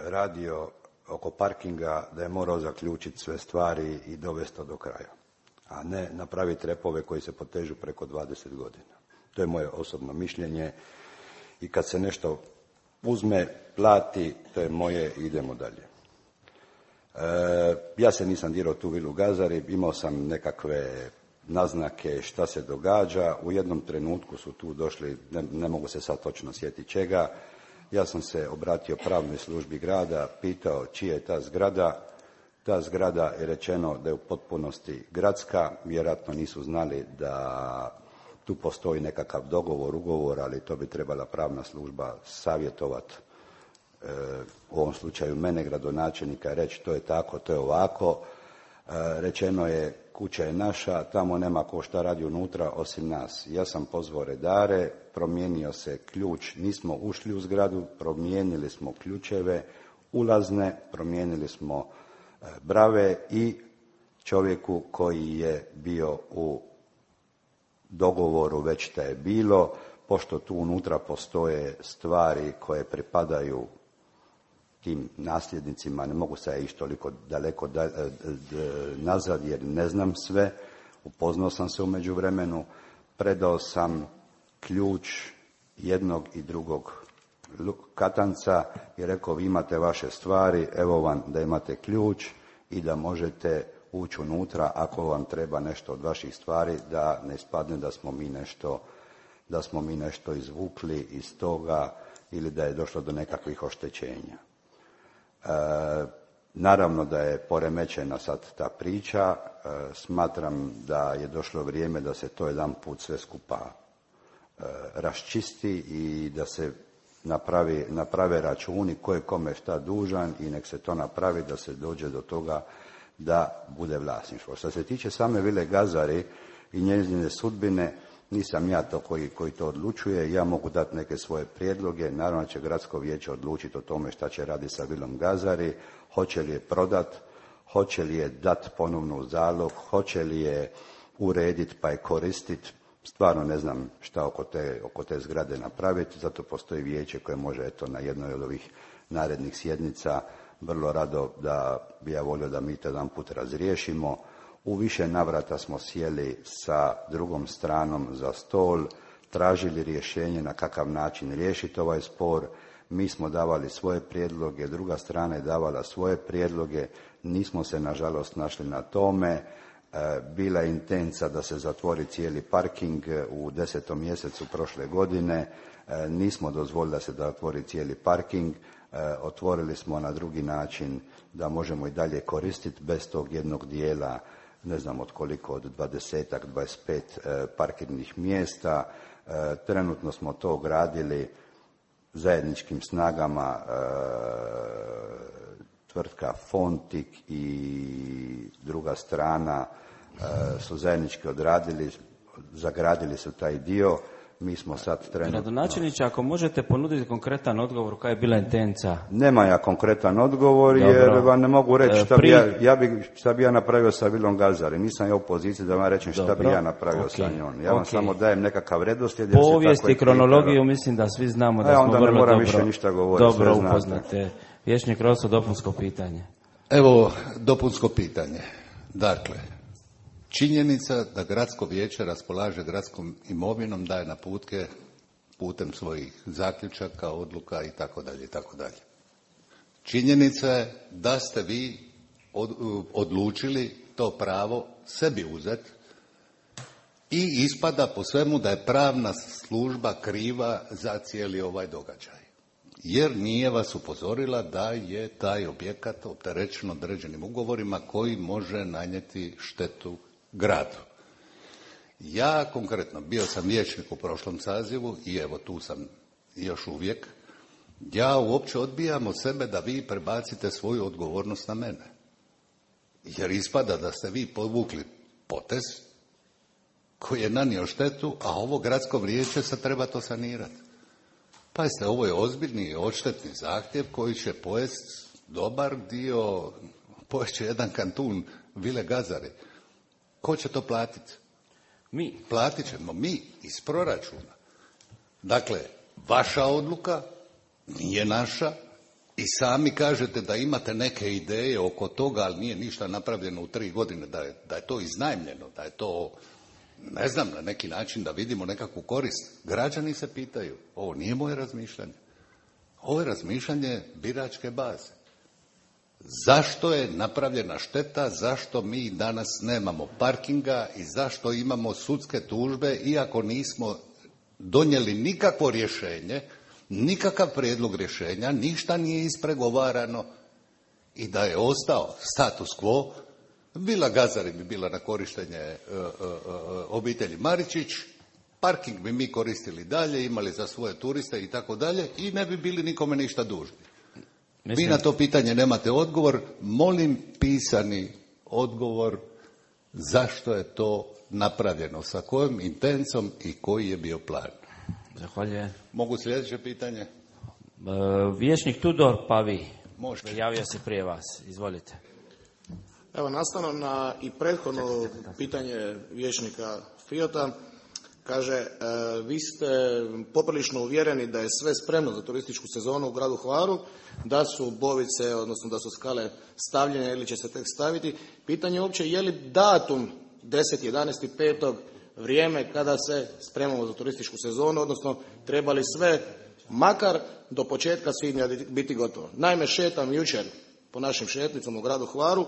radio oko parkinga, da je morao zaključiti sve stvari i dovesti to do kraja, a ne napraviti repove koji se potežu preko dvadeset godina. To je moje osobno mišljenje i kad se nešto uzme, plati, to je moje, idemo dalje. E, ja se nisam dirao tu vilu Gazari, imao sam nekakve naznake šta se događa. U jednom trenutku su tu došli, ne, ne mogu se sad točno sjetiti čega, ja sam se obratio pravnoj službi grada, pitao čija je ta zgrada. Ta zgrada je rečeno da je u potpunosti gradska, vjerojatno nisu znali da tu postoji nekakav dogovor, ugovor, ali to bi trebala pravna služba savjetovati, e, u ovom slučaju mene, gradonačelnika, reći to je tako, to je ovako. E, rečeno je kuća je naša, tamo nema ko šta radi unutra osim nas. Ja sam pozvao redare, promijenio se ključ, nismo ušli u zgradu, promijenili smo ključeve ulazne, promijenili smo e, brave i čovjeku koji je bio u dogovoru već da je bilo, pošto tu unutra postoje stvari koje pripadaju tim nasljednicima, ne mogu se ići toliko daleko da, d, d, nazad jer ne znam sve, upoznao sam se u međuvremenu, predao sam ključ jednog i drugog katanca i rekao vi imate vaše stvari, evo vam da imate ključ i da možete ući unutra ako vam treba nešto od vaših stvari, da ne ispadne da smo mi nešto, da smo mi nešto izvukli iz toga ili da je došlo do nekakvih oštećenja. E, naravno da je poremećena sad ta priča, e, smatram da je došlo vrijeme da se to jedan put sve skupa e, raščisti i da se napravi, naprave računi ko je kome šta dužan i nek se to napravi da se dođe do toga da bude vlasništvo. Što se tiče same Vile Gazari i njezine sudbine, nisam ja to koji, koji to odlučuje, ja mogu dati neke svoje prijedloge, naravno će gradsko vijeće odlučiti o tome šta će raditi sa Vilom Gazari, hoće li je prodat, hoće li je dati ponovno u zalog, hoće li je urediti pa je koristiti. Stvarno ne znam šta oko te, oko te zgrade napraviti, zato postoji vijeće koje može eto na jednoj od ovih narednih sjednica vrlo rado da bi ja volio da mi to jedan put razriješimo. U više navrata smo sjeli sa drugom stranom za stol, tražili rješenje na kakav način riješiti ovaj spor. Mi smo davali svoje prijedloge, druga strana je davala svoje prijedloge, nismo se nažalost našli na tome. Bila je intenca da se zatvori cijeli parking u desetom mjesecu prošle godine, nismo dozvolili da se zatvori cijeli parking, otvorili smo na drugi način da možemo i dalje koristiti bez tog jednog dijela, ne znam od koliko, od dvadesetak, dvadeset pet parkirnih mjesta. Trenutno smo to gradili zajedničkim snagama, tvrtka Fontik i druga strana su zajednički odradili, zagradili su taj dio. Mi smo sad trenutno... Gradonačelniče, ako možete ponuditi konkretan odgovor, koja je bila intenca? Nema ja konkretan odgovor. Dobro. Jer vam ne mogu reći šta, Pri... bi ja, ja bi, šta bi ja napravio sa Vilom Gazari. Nisam ja u poziciji da vam rečem šta Dobro. bi ja napravio okay. sa njom. Ja vam okay. samo dajem nekakav redoslijed. Povijest i kronologiju mislim da svi znamo da e, smo vrlo dobro... onda ne moram više ništa govoriti. Dobro upoznate. Vijećnik Roso, dopunsko pitanje. Evo, dopunsko pitanje. Dakle, činjenica da gradsko vijeće raspolaže gradskom imovinom, daje naputke putem svojih zaključaka, odluka i tako dalje i tako dalje. Činjenica je da ste vi od, odlučili to pravo sebi uzeti i ispada po svemu da je pravna služba kriva za cijeli ovaj događaj. Jer nije vas upozorila da je taj objekat opterećen određenim ugovorima koji može nanijeti štetu gradu. Ja konkretno, bio sam vijećnik u prošlom sazivu i evo tu sam još uvijek, ja uopće odbijam od sebe da vi prebacite svoju odgovornost na mene. Jer ispada da ste vi povukli potez koji je nanio štetu, a ovo gradsko vijeće se treba to sanirati. Pazite, ovo je ozbiljni odštetni zahtjev koji će pojesti dobar dio, pojest će jedan kantun Vile Gazari. Ko će to platiti? Mi. Platit ćemo mi iz proračuna. Dakle, vaša odluka nije naša i sami kažete da imate neke ideje oko toga, ali nije ništa napravljeno u tri godine, da je, da je to iznajmljeno, da je to, ne znam, na neki način da vidimo nekakvu korist. Građani se pitaju, ovo nije moje razmišljanje. Ovo je razmišljanje biračke baze. Zašto je napravljena šteta, zašto mi danas nemamo parkinga i zašto imamo sudske tužbe, iako nismo donijeli nikakvo rješenje, nikakav prijedlog rješenja, ništa nije ispregovarano i da je ostao status quo, Vila Gazari bi bila na korištenje uh, uh, uh, obitelji Maričić, parking bi mi koristili dalje, imali za svoje turiste i tako dalje i ne bi bili nikome ništa dužni. Mislim... Vi na to pitanje nemate odgovor, molim pisani odgovor zašto je to napravljeno, sa kojom intencom i koji je bio plan. Zahvaljujem. Mogu sljedeće pitanje? E, vijećnik Tudor, pa vi. Možete. Javio se prije vas, izvolite. Evo, nastavno na i prethodno pitanje vijećnika Fijota, kaže, e, vi ste poprilično uvjereni da je sve spremno za turističku sezonu u gradu Hvaru, da su bovice, odnosno da su skale stavljene ili će se tek staviti. Pitanje je uopće je li datum deseti jedanaesti petog vrijeme kada se spremamo za turističku sezonu, odnosno treba li sve makar do početka svibnja biti gotovo. Naime, šetam jučer po našim šetnicama u gradu Hvaru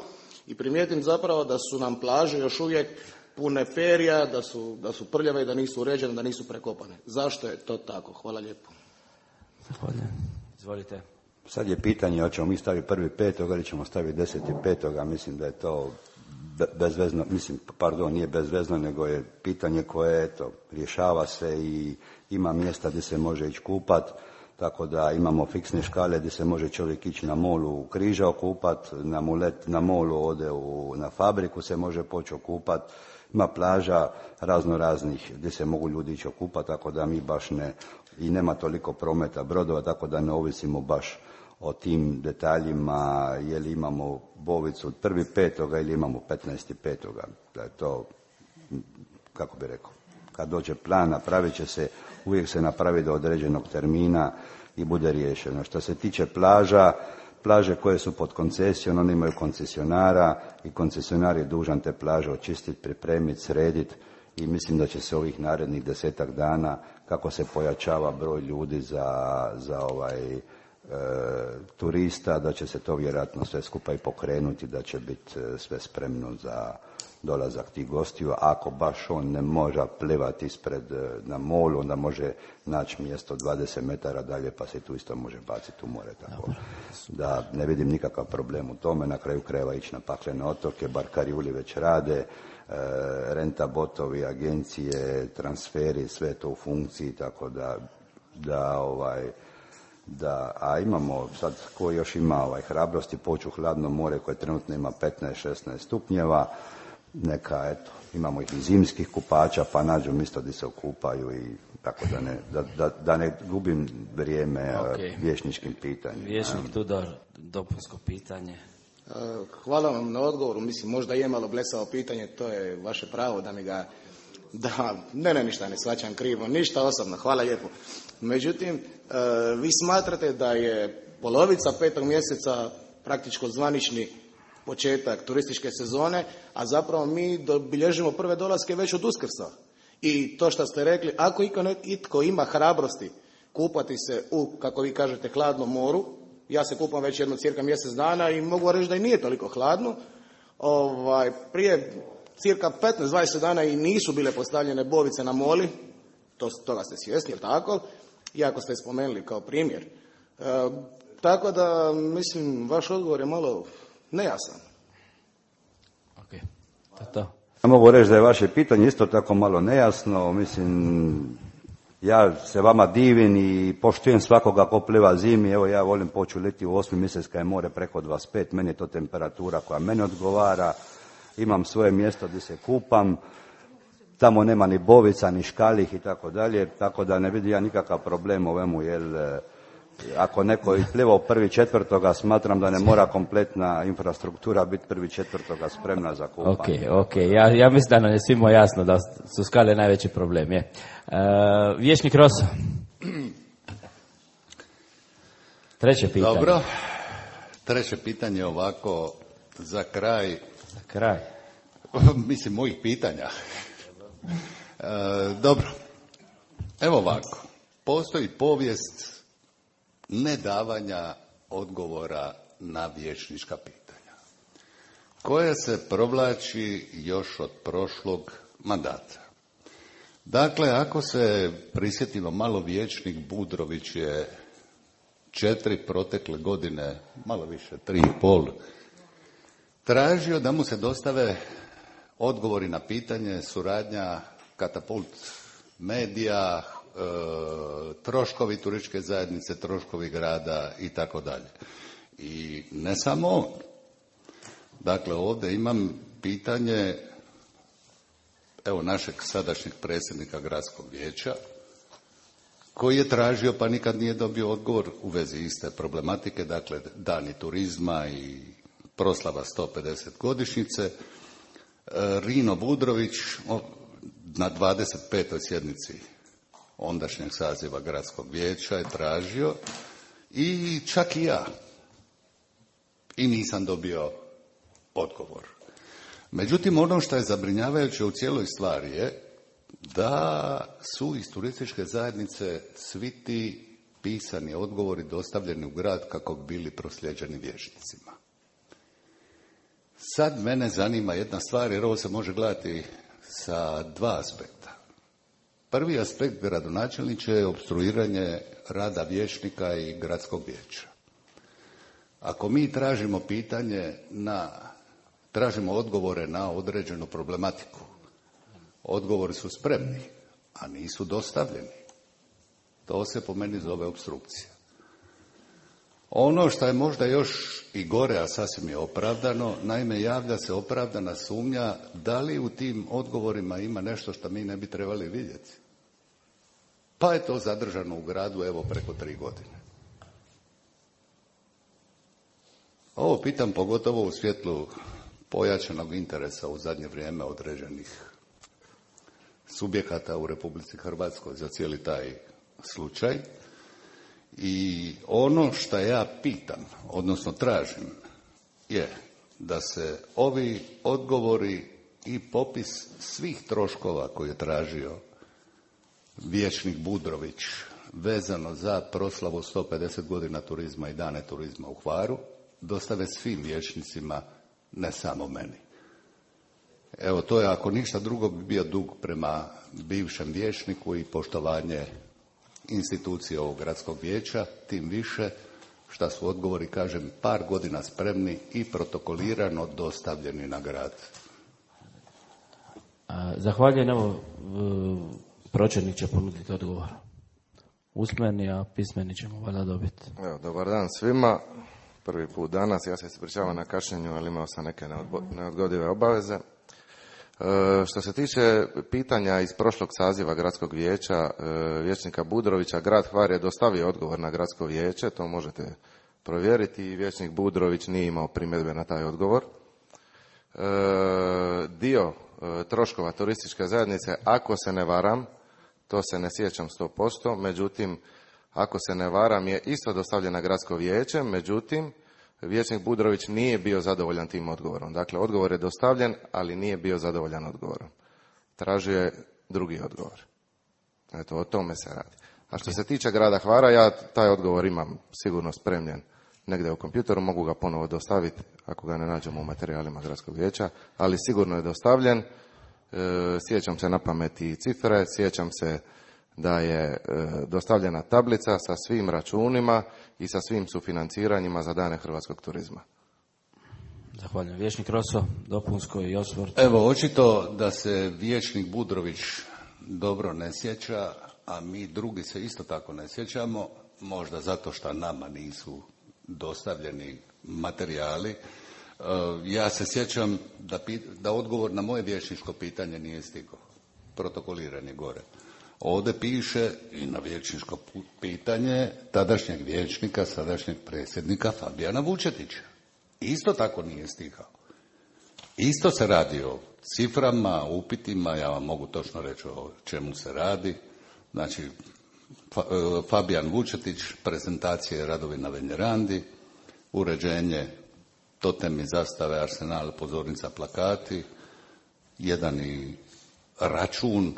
i primijetim zapravo da su nam plaže još uvijek pune perja, da su, da su prljave i da nisu uređene, da nisu prekopane. Zašto je to tako? Hvala lijepo. Zahvaljujem. Izvolite. Sad je pitanje hoćemo mi staviti prvi petoga ili ćemo staviti deseti petoga, mislim da je to bezvezno, mislim, pardon, nije bezvezno, nego je pitanje koje, eto, rješava se i ima mjesta gdje se može ići kupat, tako da imamo fiksne škale gdje se može čovjek ići na molu u Križa okupat, na mulet, na molu ode u, na fabriku se može poći okupat, ima plaža razno raznih gdje se mogu ljudi ići okupat, tako da mi baš ne, i nema toliko prometa brodova, tako da ne ovisimo baš o tim detaljima, je li imamo bovicu od prvi petoga ili imamo petnaesti petoga. Da je to, kako bi rekao, kad dođe plan, napravit će se, uvijek se napravi do određenog termina i bude riješeno. Što se tiče plaža, plaže koje su pod koncesijom, one imaju koncesionara i koncesionar je dužan te plaže očistiti, pripremiti, srediti i mislim da će se ovih narednih desetak dana, kako se pojačava broj ljudi za, za ovaj E, turista, da će se to vjerojatno sve skupa i pokrenuti, da će biti sve spremno za dolazak tih gostiju. Ako baš on ne može plivati ispred na molu, onda može naći mjesto dvadeset metara dalje, pa se tu isto može baciti u more. Tako da ne vidim nikakav problem u tome. Na kraju krajeva ići na paklene otoke, bar Karijuli već rade, e, renta botovi, agencije, transferi, sve to u funkciji, tako da, da ovaj da, a imamo sad, ko još ima ovaj hrabrosti poći u hladno more koje trenutno ima petnaest šesnaest stupnjeva, neka, eto, imamo ih i zimskih kupača, pa nađu mjesto gdje se okupaju i tako da ne, da, da, da ne gubim vrijeme okay. Vječničkim pitanjem. Vječnik Tudor, dopunsko pitanje. Hvala vam na odgovoru, mislim, možda je malo blesavo pitanje, to je vaše pravo da mi ga, da, ne, ne, ništa ne shvaćam krivo, ništa osobno, hvala lijepo. Međutim, vi smatrate da je polovica petog mjeseca praktičko zvanični početak turističke sezone, a zapravo mi bilježimo prve dolaske već od Uskrsa. I to što ste rekli, ako itko ima hrabrosti kupati se u, kako vi kažete, hladnom moru, ja se kupam već jedno cirka mjesec dana i mogu reći da i nije toliko hladno, ovaj, prije cirka petnaest dvadeset dana i nisu bile postavljene bovice na moli, to, toga ste svjesni, jel tako? Iako ste spomenuli kao primjer. E, tako da, mislim, vaš odgovor je malo nejasan. Ok, to je to. Ja mogu reći da je vaše pitanje isto tako malo nejasno, mislim, ja se vama divim i poštujem svakoga ko pliva zimi, evo ja volim poći leti u osmi mjesec kad je more preko dvadeset pet, meni je to temperatura koja meni odgovara, imam svoje mjesto gdje se kupam, tamo nema ni bovica, ni škalih i tako dalje, tako da ne vidim ja nikakav problem u ovemu, jer ako neko je plivao prvi četvrtoga, smatram da ne mora kompletna infrastruktura biti prvi četvrtoga spremna za kupanje. Ok, ok, ja, ja mislim da nam je svima jasno da su skale najveći problem. Je. Uh, Vječnik Roso. Treće pitanje. Dobro, treće pitanje ovako za kraj. Za kraj. Mislim, mojih pitanja. E, dobro, evo ovako, postoji povijest nedavanja odgovora na vječnička pitanja, koja se provlači još od prošlog mandata. Dakle, ako se prisjetimo malo, vječnik Budrović je četiri protekle godine, malo više, tri i pol, tražio da mu se dostave odgovori na pitanje suradnja Katapult medija, e, troškovi turističke zajednice, troškovi grada i tako dalje. I ne samo on. Dakle, ovdje imam pitanje, evo, našeg sadašnjeg predsjednika gradskog vijeća, koji je tražio pa nikad nije dobio odgovor u vezi iste problematike, dakle, dani turizma i proslava sto pedeset godišnjice. Rino Budrović na dvadeset petoj sjednici ondašnjeg saziva gradskog vijeća je tražio i čak i ja. I nisam dobio odgovor. Međutim, ono što je zabrinjavajuće u cijeloj stvari je da su iz turističke zajednice svi ti pisani odgovori dostavljeni u grad kako bi bili proslijeđeni vijećnicima. Sad mene zanima jedna stvar, jer ovo se može gledati sa dva aspekta. Prvi aspekt, gradonačelniče, je opstruiranje rada vijećnika i gradskog vijeća. Ako mi tražimo pitanje na, tražimo odgovore na određenu problematiku, odgovori su spremni, a nisu dostavljeni. To se po meni zove opstrukcija. Ono što je možda još i gore, a sasvim je opravdano, naime javlja se opravdana sumnja da li u tim odgovorima ima nešto što mi ne bi trebali vidjeti. Pa je to zadržano u gradu evo preko tri godine. Ovo pitam pogotovo u svjetlu pojačanog interesa u zadnje vrijeme određenih subjekata u Republici Hrvatskoj za cijeli taj slučaj. I ono što ja pitam, odnosno tražim, je da se ovi odgovori i popis svih troškova koje je tražio vijećnik Budrović vezano za proslavu sto pedeset godina turizma i dane turizma u Hvaru dostave svim vijećnicima, ne samo meni. Evo, to je, ako ništa drugo, bi bio dug prema bivšem vijećniku i poštovanje institucije ovog gradskog vijeća, tim više šta su odgovori, kažem, par godina spremni i protokolirano dostavljeni na grad. Zahvaljujem, evo, pročelnik će ponuditi odgovor. Usmeni, a pismeni ćemo valjda dobiti. Evo, dobar dan svima. Prvi put danas, ja se ispričavam na kašnjenju, ali imao sam neke neodgodive obaveze. E, što se tiče pitanja iz prošlog saziva gradskog vijeća, e, vijećnika Budrovića, grad Hvar je dostavio odgovor na gradsko vijeće, to možete provjeriti, i vijećnik Budrović nije imao primjedbe na taj odgovor. E, dio e, troškova turističke zajednice, ako se ne varam, to se ne sjećam sto posto, međutim, ako se ne varam, je isto dostavljen na gradsko vijeće, međutim, vijećnik Budrović nije bio zadovoljan tim odgovorom. Dakle, odgovor je dostavljen, ali nije bio zadovoljan odgovorom. Tražio je drugi odgovor. Eto, o tome se radi. A što se tiče grada Hvara, ja taj odgovor imam sigurno spremljen negdje u kompjuteru, mogu ga ponovo dostaviti ako ga ne nađemo u materijalima gradskog vijeća, ali sigurno je dostavljen. E, sjećam se na pamet i cifre, sjećam se da je e, dostavljena tablica sa svim računima i sa svim sufinanciranjima za dane hrvatskog turizma. Zahvaljujem. Vijećnik Roso, dopunsko i osvrt. Evo, očito da se vijećnik Budrović dobro ne sjeća, a mi drugi se isto tako ne sjećamo, možda zato što nama nisu dostavljeni materijali. Ja se sjećam da, da odgovor na moje vijećničko pitanje nije stigao. Protokoliran je gore. Ovdje piše i na vijećničko pitanje tadašnjeg vijećnika, sadašnjeg predsjednika Fabijana Vučetića. Isto tako nije stigao. Isto se radi o ciframa, upitima, ja vam mogu točno reći o čemu se radi. Znači, Fabijan Vučetić, prezentacije radovi na Venjerandi, uređenje totemi, zastave, arsenal, pozornica, plakati, jedan i račun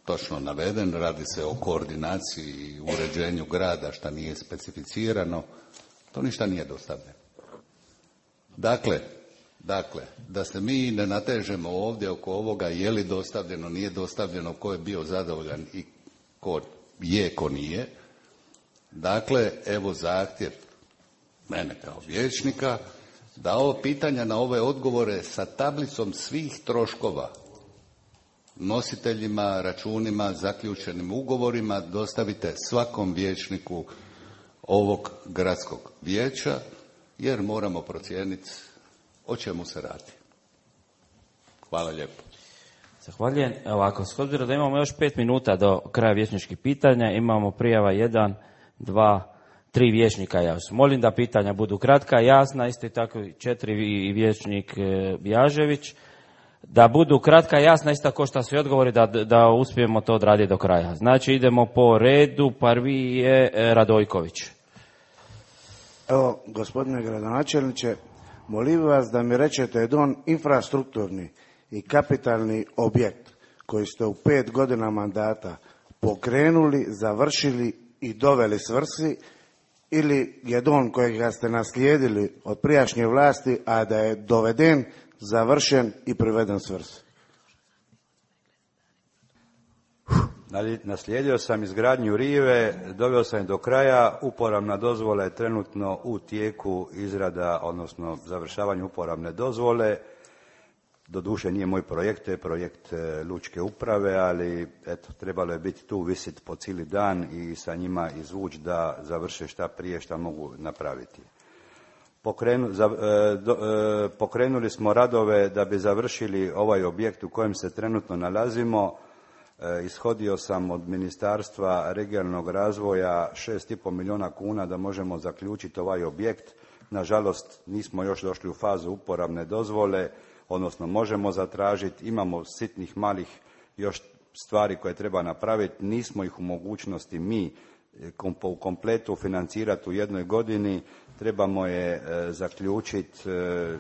točno naveden, radi se o koordinaciji i uređenju grada što nije specificirano, to ništa nije dostavljeno. Dakle, dakle, da se mi ne natežemo ovdje oko ovoga je li dostavljeno, nije dostavljeno, ko je bio zadovoljan i ko je, ko nije. Dakle, evo zahtjev mene kao vijećnika da ovo pitanja na ove odgovore sa tablicom svih troškova, nositeljima, računima, zaključenim ugovorima dostavite svakom vijećniku ovog gradskog vijeća, jer moramo procijeniti o čemu se radi. Hvala lijepo. Zahvaljujem. Ovako, s obzirom da imamo još pet minuta do kraja vijećničkih pitanja, imamo prijava jedan, dva, tri vijećnika javsu. Molim da pitanja budu kratka, jasna, isto i tako četiri i vijećnik Bjažević. Da budu kratka, jasna, isto kao što su i odgovori, da, da uspijemo to odraditi do kraja. Znači, idemo po redu, prvi je Radojković. Evo, gospodine gradonačelniče, molim vas da mi rečete jedan infrastrukturni i kapitalni objekt koji ste u pet godina mandata pokrenuli, završili i doveli svrsi, ili jedan kojega ste naslijedili od prijašnje vlasti, a da je doveden završen i priveden svrsi. Naslijedio sam izgradnju rive, doveo sam je do kraja, uporabna dozvola je trenutno u tijeku izrada, odnosno završavanje uporabne dozvole. Doduše nije moj projekt, to je projekt lučke uprave, ali eto, trebalo je biti tu, visiti po cijeli dan i sa njima izvući da završe šta prije šta mogu napraviti. Pokrenu, za, do, pokrenuli smo radove da bi završili ovaj objekt u kojem se trenutno nalazimo. Ishodio sam od Ministarstva regionalnog razvoja šest i pol milijuna kuna da možemo zaključiti ovaj objekt. Nažalost, nismo još došli u fazu uporabne dozvole, odnosno možemo zatražiti, imamo sitnih malih još stvari koje treba napraviti, nismo ih u mogućnosti mi u kompletu financirati u jednoj godini, trebamo je zaključiti,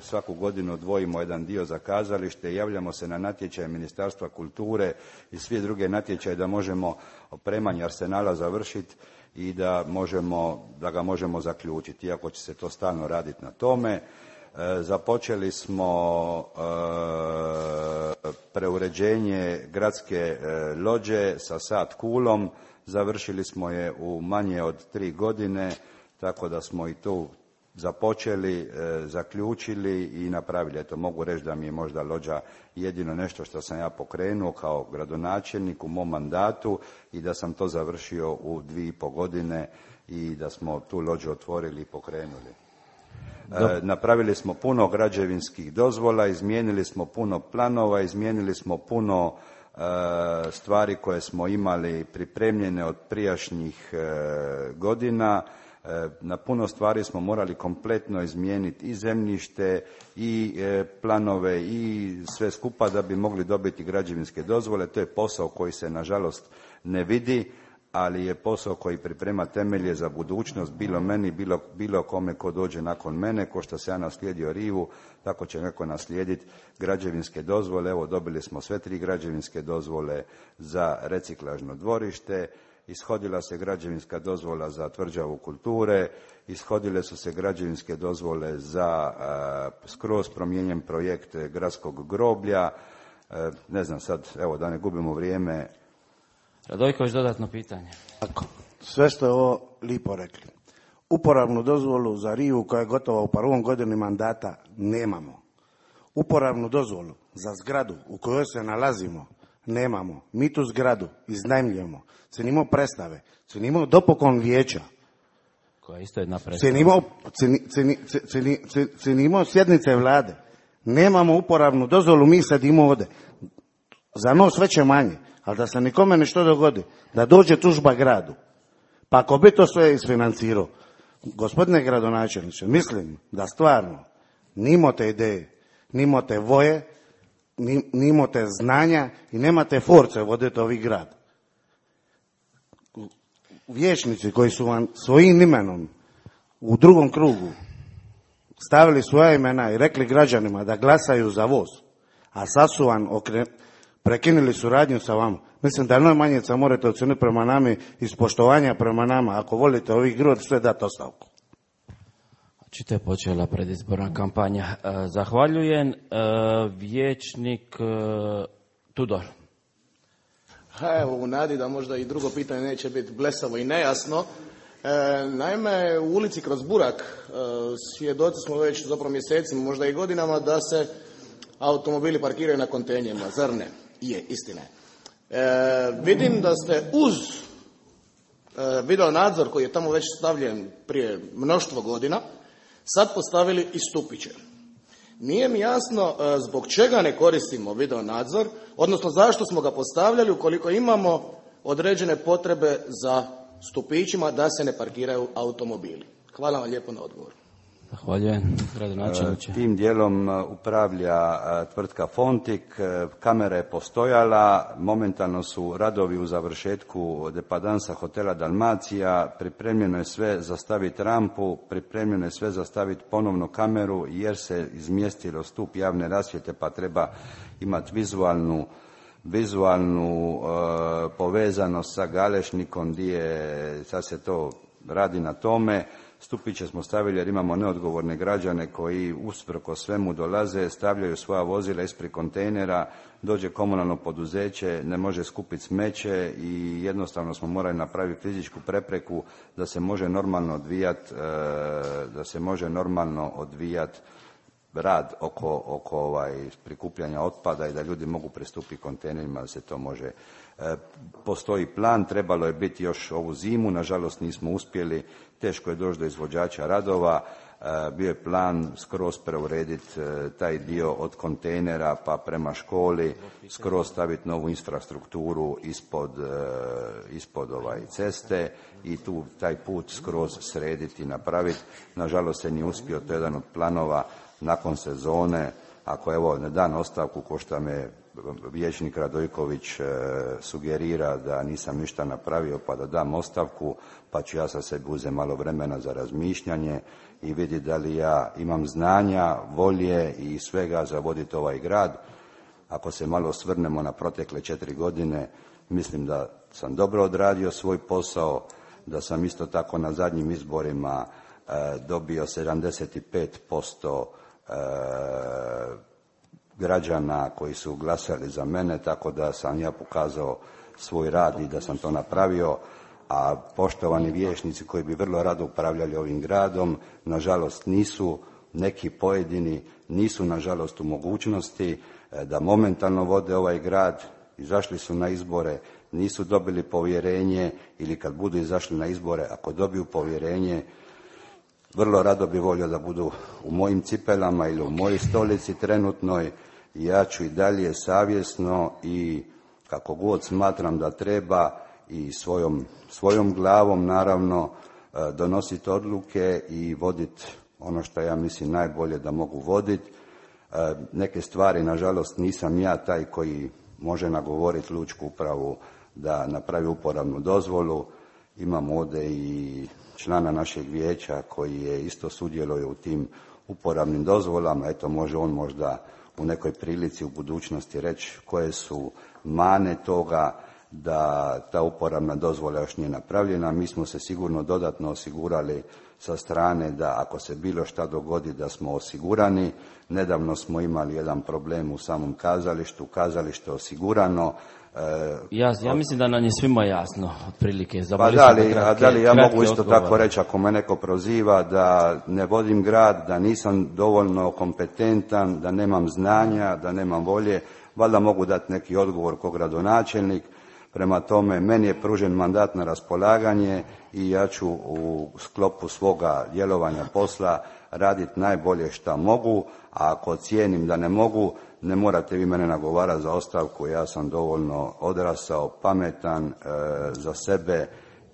svaku godinu odvojimo jedan dio za kazalište, javljamo se na natječaje Ministarstva kulture i svi druge natječaje da možemo opremanje arsenala završiti i da, možemo, da ga možemo zaključiti, iako će se to stalno raditi na tome. Započeli smo preuređenje gradske lođe sa sat kulom, završili smo je u manje od tri godine, tako da smo i tu započeli, zaključili i napravili. Eto, mogu reći da mi je možda lođa jedino nešto što sam ja pokrenuo kao gradonačelnik u mom mandatu i da sam to završio u dvije i pol godine i da smo tu lođu otvorili i pokrenuli. E, napravili smo puno građevinskih dozvola, izmijenili smo puno planova, izmijenili smo puno e, stvari koje smo imali pripremljene od prijašnjih e, godina. E, na puno stvari smo morali kompletno izmijeniti i zemljište i e, planove i sve skupa da bi mogli dobiti građevinske dozvole. To je posao koji se nažalost ne vidi, ali je posao koji priprema temelje za budućnost, bilo meni, bilo, bilo kome ko dođe nakon mene, ko što se ja naslijedio rivu, tako će neko naslijediti građevinske dozvole. Evo, dobili smo sve tri građevinske dozvole za reciklažno dvorište, ishodila se građevinska dozvola za tvrđavu kulture, ishodile su se građevinske dozvole za uh, skroz promijenjen projekt gradskog groblja. Uh, ne znam sad, evo da ne gubimo vrijeme. Radojković, dodatno pitanje. Tako, sve ste ovo lipo rekli. Uporabnu dozvolu za rivu koja je gotova u prvom godini mandata nemamo. Uporabnu dozvolu za zgradu u kojoj se nalazimo nemamo. Mi tu zgradu iznajmljujemo. Cenimo predstave, cenimo dopokon vijeća. Koja isto jedna predstava. Cenimo, ceni, ceni, ceni, ceni, cenimo sjednice vlade. Nemamo uporabnu dozvolu, mi sedimo ovdje. Za nos veće manje. Ali da se nikome nešto dogodi, da dođe tužba gradu, pa ako bi to sve isfinancirao, gospodine gradonačelniče, mislim da stvarno nimate ideje, nimate voje, nimate znanja i nemate force voditi ovi grad. Vijećnici koji su vam svojim imenom u drugom krugu stavili svoja imena i rekli građanima da glasaju za voz, a sad su vam okrenuli, prekinuli suradnju sa vama. Mislim da najmanje se morate oceniti prema nami iz poštovanja prema nama. Ako volite ovih grod, sve dati ostavku. Očito je počela predizborna kampanja. Zahvaljujem. Vijećnik Tudor. Ha, evo, u nadi da možda i drugo pitanje neće biti blesavo i nejasno. E, naime, u ulici kroz Burak e, svjedoci smo već zapravo mjesecima, možda i godinama, da se automobili parkiraju na kontejnerima. Zar ne? Je, istina je. E, vidim da ste uz e, video nadzor koji je tamo već stavljen prije mnoštvo godina, sad postavili i stupiće. Nije mi jasno e, zbog čega ne koristimo video nadzor, odnosno zašto smo ga postavljali ukoliko imamo određene potrebe za stupićima da se ne parkiraju automobili. Hvala vam lijepo na odgovor. Zahvaljujem, gradonačelniče. Tim dijelom upravlja tvrtka Fontik, kamera je postojala, momentalno su radovi u završetku depadansa hotela Dalmacija, pripremljeno je sve za staviti rampu, pripremljeno je sve za staviti ponovno kameru jer se izmjestilo stup javne rasvjete pa treba imati vizualnu vizualnu e, povezanost sa Galešnikom gdje sad se to radi na tome. stupiće smo stavili jer imamo neodgovorne građane koji usprkos svemu dolaze, stavljaju svoja vozila ispred kontejnera, dođe komunalno poduzeće, ne može skupiti smeće i jednostavno smo morali napraviti fizičku prepreku da se može normalno odvijati, da se može normalno odvijati rad oko, oko ovaj, prikupljanja otpada i da ljudi mogu pristupiti kontejnerima, da se to može. E, postoji plan, trebalo je biti još ovu zimu, nažalost nismo uspjeli, teško je doći do izvođača radova, e, bio je plan skroz preurediti e, taj dio od kontejnera pa prema školi, skroz staviti novu infrastrukturu ispod, e, ispod ovaj ceste i tu taj put skroz srediti i napraviti. Nažalost se nije uspio, to je jedan od planova nakon sezone, ako evo ne dan ostavku ko što me vijećnik Radojković e, sugerira da nisam ništa napravio pa da dam ostavku, pa ću ja sa sebi uzeti malo vremena za razmišljanje i vidjeti da li ja imam znanja, volje i svega za voditi ovaj grad. Ako se malo osvrnemo na protekle četiri godine, mislim da sam dobro odradio svoj posao, da sam isto tako na zadnjim izborima e, dobio sedamdeset pet posto e, građana koji su glasali za mene, tako da sam ja pokazao svoj rad i da sam to napravio, a poštovani vijećnici koji bi vrlo rado upravljali ovim gradom, nažalost nisu, neki pojedini nisu nažalost u mogućnosti da momentalno vode ovaj grad, izašli su na izbore, nisu dobili povjerenje ili kad budu izašli na izbore, ako dobiju povjerenje, vrlo rado bi volio da budu u mojim cipelama ili u mojoj stolici trenutnoj. Ja ću i dalje savjesno i kako god smatram da treba i svojom, svojom glavom naravno donositi odluke i voditi ono što ja mislim najbolje da mogu voditi. Neke stvari, nažalost, nisam ja taj koji može nagovoriti lučku upravu da napravi uporabnu dozvolu. Imamo ovdje i člana našeg vijeća koji je isto sudjeluje u tim uporabnim dozvolama. Eto, može on možda u nekoj prilici u budućnosti reći koje su mane toga da ta uporabna dozvola još nije napravljena. Mi smo se sigurno dodatno osigurali sa strane da ako se bilo šta dogodi da smo osigurani. Nedavno smo imali jedan problem u samom kazalištu, kazalište osigurano. Ja, ja mislim da nam je svima jasno, otprilike. Pa da li, kratke, da li ja mogu isto odgovor. Tako reći, ako me neko proziva da ne vodim grad, da nisam dovoljno kompetentan, da nemam znanja, da nemam volje, valjda mogu dati neki odgovor kao gradonačelnik. Prema tome, meni je pružen mandat na raspolaganje i ja ću u sklopu svoga djelovanja posla raditi najbolje šta mogu, a ako cijenim da ne mogu, ne morate vi mene nagovarati za ostavku, ja sam dovoljno odrasao, pametan e, za sebe,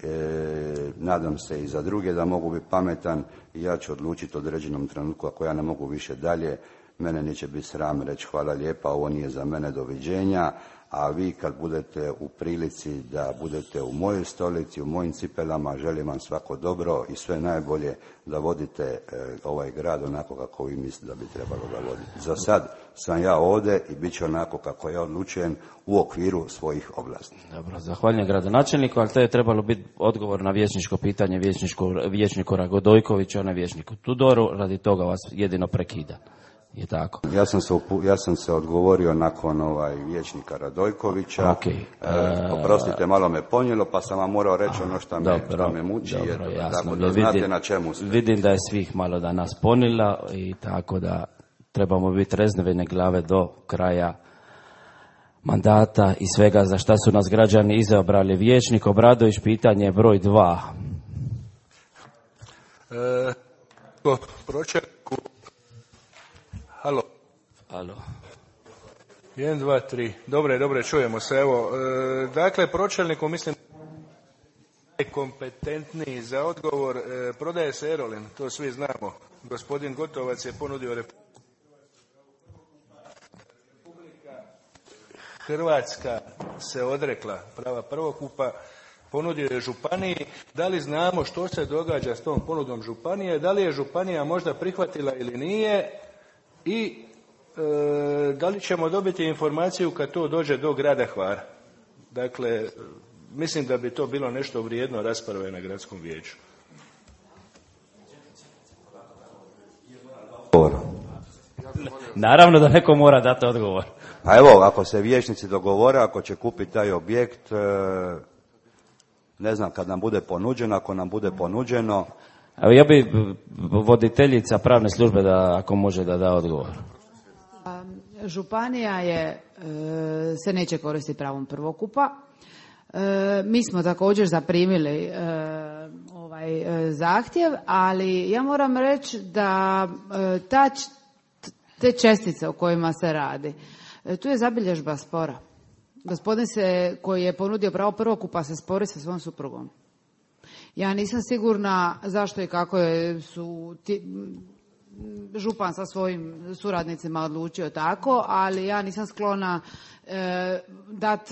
e, nadam se i za druge da mogu biti pametan i ja ću odlučiti u određenom trenutku ako ja ne mogu više dalje, mene neće biti sram reći hvala lijepa, ovo nije za mene, doviđenja, a vi kad budete u prilici da budete u mojoj stolici, u mojim cipelama, želim vam svako dobro i sve najbolje da vodite e, ovaj grad onako kako vi mislite da bi trebalo ga voditi. Za sad sam ja ovdje i bit će onako kako ja odlučujem u okviru svojih ovlasti. Dobro, zahvaljujem gradonačelniku, ali to je trebalo biti odgovor na vijećničko pitanje vijećniku Ragodojkoviću, a ne vijećniku Tudoru, radi toga vas jedino prekida. Je tako. Ja sam se, ja sam se odgovorio nakon ovaj vijećnika Radojkovića. Okay. E, oprostite, malo me ponijelo, pa sam vam morao reći ono što me, dobro, što me muči. Dobro, je, jasno. Tako da vidim, znate na čemu ste. Vidim da je svih malo da nas ponila i tako da trebamo biti reznevene glave do kraja mandata i svega za šta su nas građani izabrali. Vijećnik Obradović, pitanje broj dva. E, pročelniku. Halo. Halo. jedan, dva, tri. Dobre, dobre, čujemo se. Evo, e, dakle, pročelniku mislim najkompetentniji za odgovor. E, prodaje se Erolin, to svi znamo. Gospodin Gotovac je ponudio Republika Hrvatska se odrekla prava prvokupa, ponudio je županiji. Da li znamo što se događa s tom ponudom županije? Da li je županija možda prihvatila ili nije? I e, da li ćemo dobiti informaciju kad to dođe do grada Hvara? Dakle, mislim da bi to bilo nešto vrijedno rasprave na gradskom vijeću. Naravno da neko mora dati odgovor. Pa evo, ako se vijećnici dogovore, ako će kupiti taj objekt, ne znam, kad nam bude ponuđeno, ako nam bude ponuđeno. Evo, ja bi voditeljica pravne službe da, ako može, da da odgovor. Županija je, se neće koristiti pravom prvokupa. Mi smo također zaprimili ovaj zahtjev, ali ja moram reći da ta, te čestice o kojima se radi, tu je zabilježba spora. Gospodin se, koji je ponudio pravo prvokupa, se spori sa svom suprugom. Ja nisam sigurna zašto i kako je, su ti, župan sa svojim suradnicima odlučio tako, ali ja nisam sklona e, dat,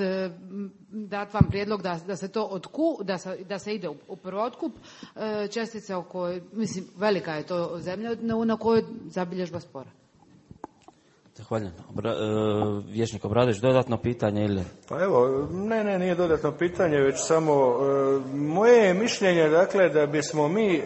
dat vam prijedlog da, da se to otku, da se, da se ide u, u prvotkup e, čestice o kojoj, mislim, velika je to zemlja na, na kojoj zabilježba spora. Zahvaljujem. Obra, e, Vječnik Obradović, dodatno pitanje ili? Pa evo, ne, ne, nije dodatno pitanje, već samo e, moje je mišljenje, dakle, da bismo mi, e,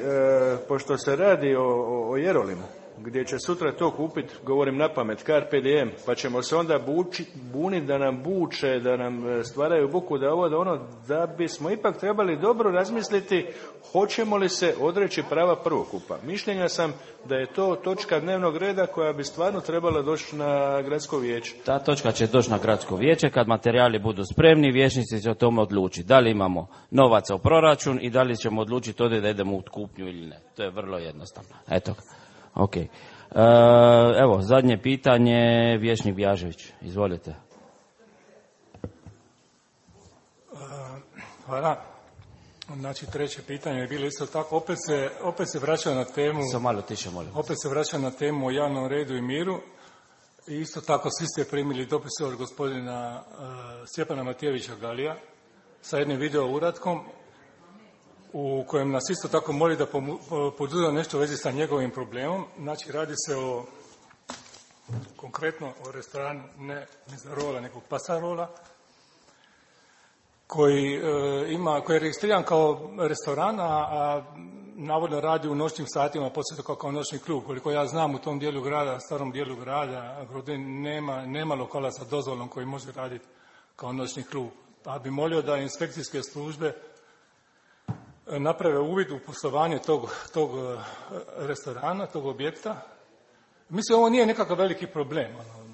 pošto se radi o, o, o Jerolimu, gdje će sutra to kupiti, govorim na pamet, Carpe Diem, pa ćemo se onda buči, buniti da nam buče, da nam stvaraju buku, da ovo, da ono, da bismo ipak trebali dobro razmisliti hoćemo li se odreći prava prvokupa. Mišljenja sam da je to točka dnevnog reda koja bi stvarno trebala doći na gradsko vijeće. Ta točka će doći na gradsko vijeće kad materijali budu spremni, vijećnici će o tome odlučiti. Da li imamo novaca u proračun i da li ćemo odlučiti ovdje da idemo u kupnju ili ne. To je vrlo jednostavno. Eto. Ok. E, evo, zadnje pitanje, Vječnik Bjažević. Izvolite. Hvala. Znači, treće pitanje je bilo isto tako. Opet se, opet se vraća na temu... Samo malo tiše, molim. Opet se vraća na temu o javnom redu i miru. I isto tako svi ste primili dopise od gospodina uh, Stjepana Matijevića Galija sa jednim video uratkom u kojem nas isto tako moli da poduzme nešto u vezi sa njegovim problemom. Znači, radi se o konkretno o restoranu ne Mizarola, nekog Pasarola, koji e, ima, koji je registriran kao restoran, a, a navodno radi u noćnim satima, poslije kao, kao noćni klub. Koliko ja znam, u tom dijelu grada, starom dijelu grada, Grodin, nema, nema lokala sa dozvolom koji može raditi kao noćni klub. Pa bi molio da inspekcijske službe naprave uvid u poslovanje tog, tog restorana, tog objekta. Mislim, ovo nije nekakav veliki problem. Ono,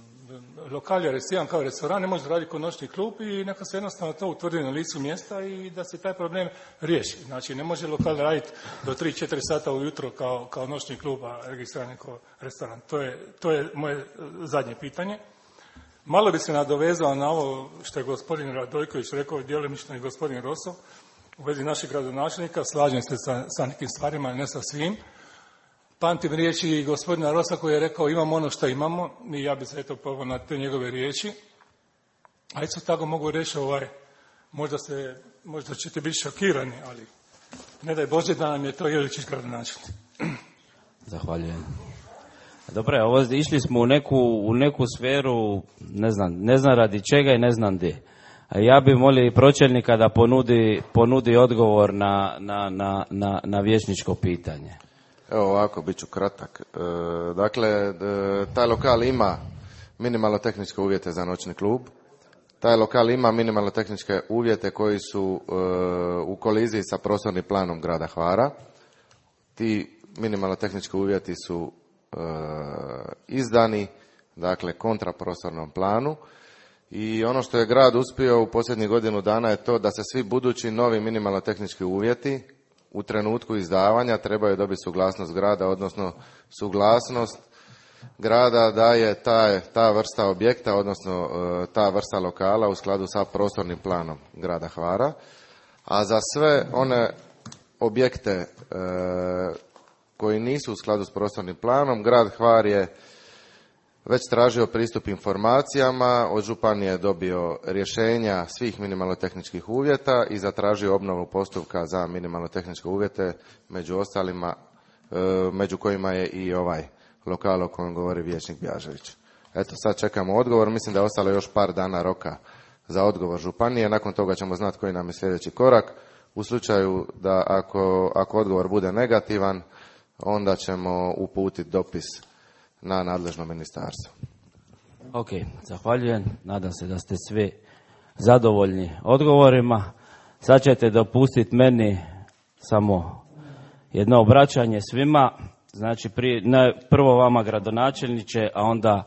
lokal je registriran kao restoran, ne može raditi kao noćni klub i neka se jednostavno to utvrdi na licu mjesta i da se taj problem riješi. Znači, ne može lokal raditi do tri četiri sata ujutro kao, kao noćni klub, a registriran kao restoran. To je, to je moje zadnje pitanje. Malo bi se nadovezao na ovo što je gospodin Radojković rekao, djelomično i gospodin Roso, u vezi našeg gradonačelnika. Slažem se sa, sa nekim stvarima, ne sa svim. Pamtim riječi gospodina Rosa koji je rekao imamo ono što imamo i ja bih se eto poveo na te njegove riječi. A isto tako mogu reći, ovaj, možda, se, možda ćete biti šokirani, ali ne daj Bože da nam je to Jeličić gradonačelnik. Zahvaljujem. Dobro, ovo išli smo u neku, u neku sferu, ne znam, ne znam radi čega i ne znam gdje. Ja bih molio i pročelnika da ponudi, ponudi odgovor na, na, na, na, na vijećničko pitanje. Evo ovako, bit ću kratak. E, dakle, e, taj lokal ima minimalno tehničke uvjete za noćni klub. Taj lokal ima minimalno tehničke uvjete koji su e, u koliziji sa prostornim planom grada Hvara. Ti minimalno tehnički uvjeti su e, izdani, dakle, kontra prostornom planu. I ono što je grad uspio u posljednjih godinu dana je to da se svi budući novi minimalno tehnički uvjeti u trenutku izdavanja trebaju dobiti suglasnost grada, odnosno suglasnost grada da je ta, ta vrsta objekta, odnosno ta vrsta lokala u skladu sa prostornim planom grada Hvara. A za sve one objekte e, koji nisu u skladu s prostornim planom, grad Hvar je već tražio pristup informacijama, od županije je dobio rješenja svih minimalno tehničkih uvjeta i zatražio obnovu postupka za minimalno tehničke uvjete, među ostalima, među kojima je i ovaj lokal o kojem govori vijećnik Bjažević. Eto, sad čekamo odgovor, mislim da je ostalo još par dana roka za odgovor županije, nakon toga ćemo znati koji nam je sljedeći korak. U slučaju da ako, ako odgovor bude negativan, onda ćemo uputiti dopis na nadležno ministarstvo. Ok, zahvaljujem. Nadam se da ste svi zadovoljni odgovorima. Sad ćete dopustiti meni samo jedno obraćanje svima. Znači, prije, ne, prvo vama gradonačelniče, a onda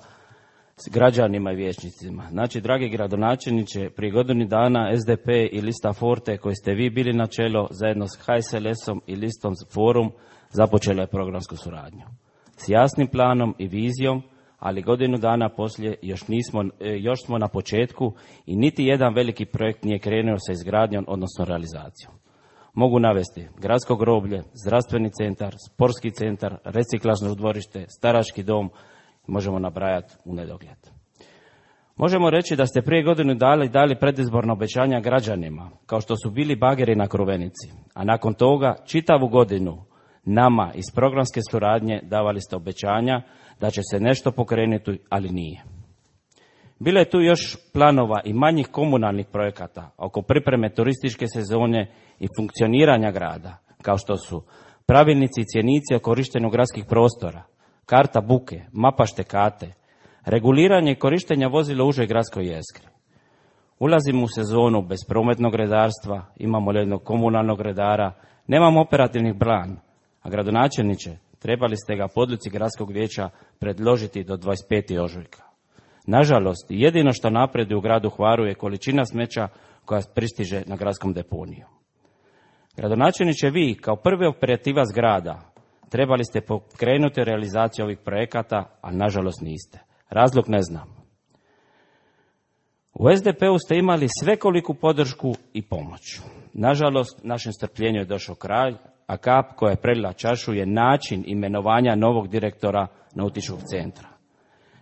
s građanima i vijećnicima. Znači, dragi gradonačelniče, prije godinu dana S D P i lista Forte, koji ste vi bili na čelo, zajedno s H S L S-om i listom Forum, započela je programsku suradnju. S jasnim planom i vizijom, ali godinu dana poslije još, nismo, još smo na početku i niti jedan veliki projekt nije krenuo sa izgradnjom, odnosno realizacijom. Mogu navesti gradsko groblje, zdravstveni centar, sportski centar, reciklažno dvorište, starački dom, možemo nabrajati u nedogled. Možemo reći da ste prije godinu dali, dali predizborna obećanja građanima, kao što su bili bageri na Kruvenici, a nakon toga čitavu godinu nama iz programske suradnje davali ste obećanja da će se nešto pokrenuti, ali nije. Bilo je tu još planova i manjih komunalnih projekata oko pripreme turističke sezone i funkcioniranja grada, kao što su pravilnici i cjenici o korištenju gradskih prostora, karta buke, mapa štekate, reguliranje i korištenja vozila u užoj gradskoj jezgri. Ulazimo u sezonu bez prometnog redarstva, imamo jednog komunalnog redara, nemamo operativnih plan, a gradonačelniče, trebali ste ga po odluci gradskog vijeća predložiti do dvadeset petog ožujka. Nažalost, jedino što napreduje u gradu Hvaru je količina smeća koja pristiže na gradskom deponiju. Gradonačelniče, vi kao prvi operativac grada trebali ste pokrenuti realizaciju ovih projekata, a nažalost niste. Razlog ne znam. U S D P-u ste imali svekoliku podršku i pomoć. Nažalost, našem strpljenju je došao kraj, a kap koja je prelila čašu je način imenovanja novog direktora nautičkog centra.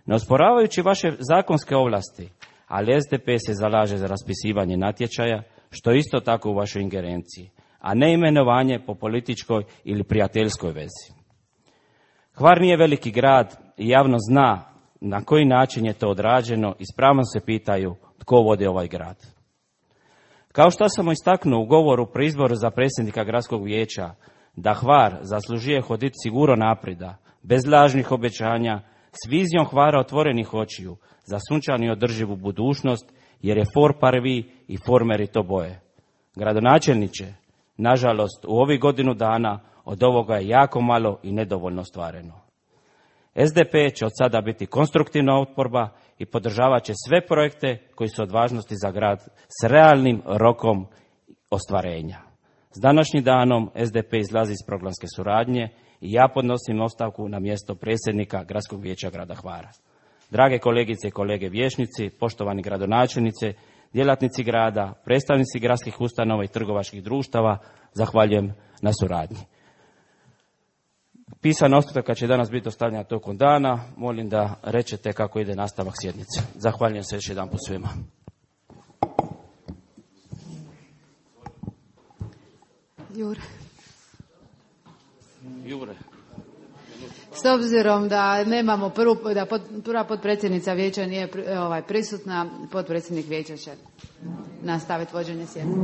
Ne osporavajući vaše zakonske ovlasti, ali S D P se zalaže za raspisivanje natječaja, što je isto tako u vašoj ingerenciji, a ne imenovanje po političkoj ili prijateljskoj vezi. Hvar nije veliki grad i javno zna na koji način je to odrađeno i s pravom se pitaju tko vodi ovaj grad. Kao što sam istaknuo u govoru pri izboru za predsjednika gradskog vijeća, da Hvar zaslužuje hoditi sigurno naprida, bez lažnih obećanja, s vizijom Hvara otvorenih očiju, za sunčanu i održivu budućnost, jer je for parvi i formeri to boje. Gradonačelniče, nažalost, u ovih godinu dana od ovoga je jako malo i nedovoljno ostvareno. S D P će od sada biti konstruktivna oporba i podržavat će sve projekte koji su od važnosti za grad s realnim rokom ostvarenja. S današnjim danom S D P izlazi iz programske suradnje i ja podnosim ostavku na mjesto predsjednika Gradskog vijeća grada Hvara. Drage kolegice i kolege vijećnici, poštovani gradonačelnice, djelatnici grada, predstavnici gradskih ustanova i trgovačkih društava, zahvaljujem na suradnji. Pisana ostavka će danas biti dostavljena tokom dana. Molim da rečete kako ide nastavak sjednice. Zahvaljujem se još jedan put svima. Jure. Jure. S obzirom da nemamo prvu, da pod, prva potpredsjednica vijeća nije ovaj, prisutna, potpredsjednik vijeća će nastaviti vođenje sjednice.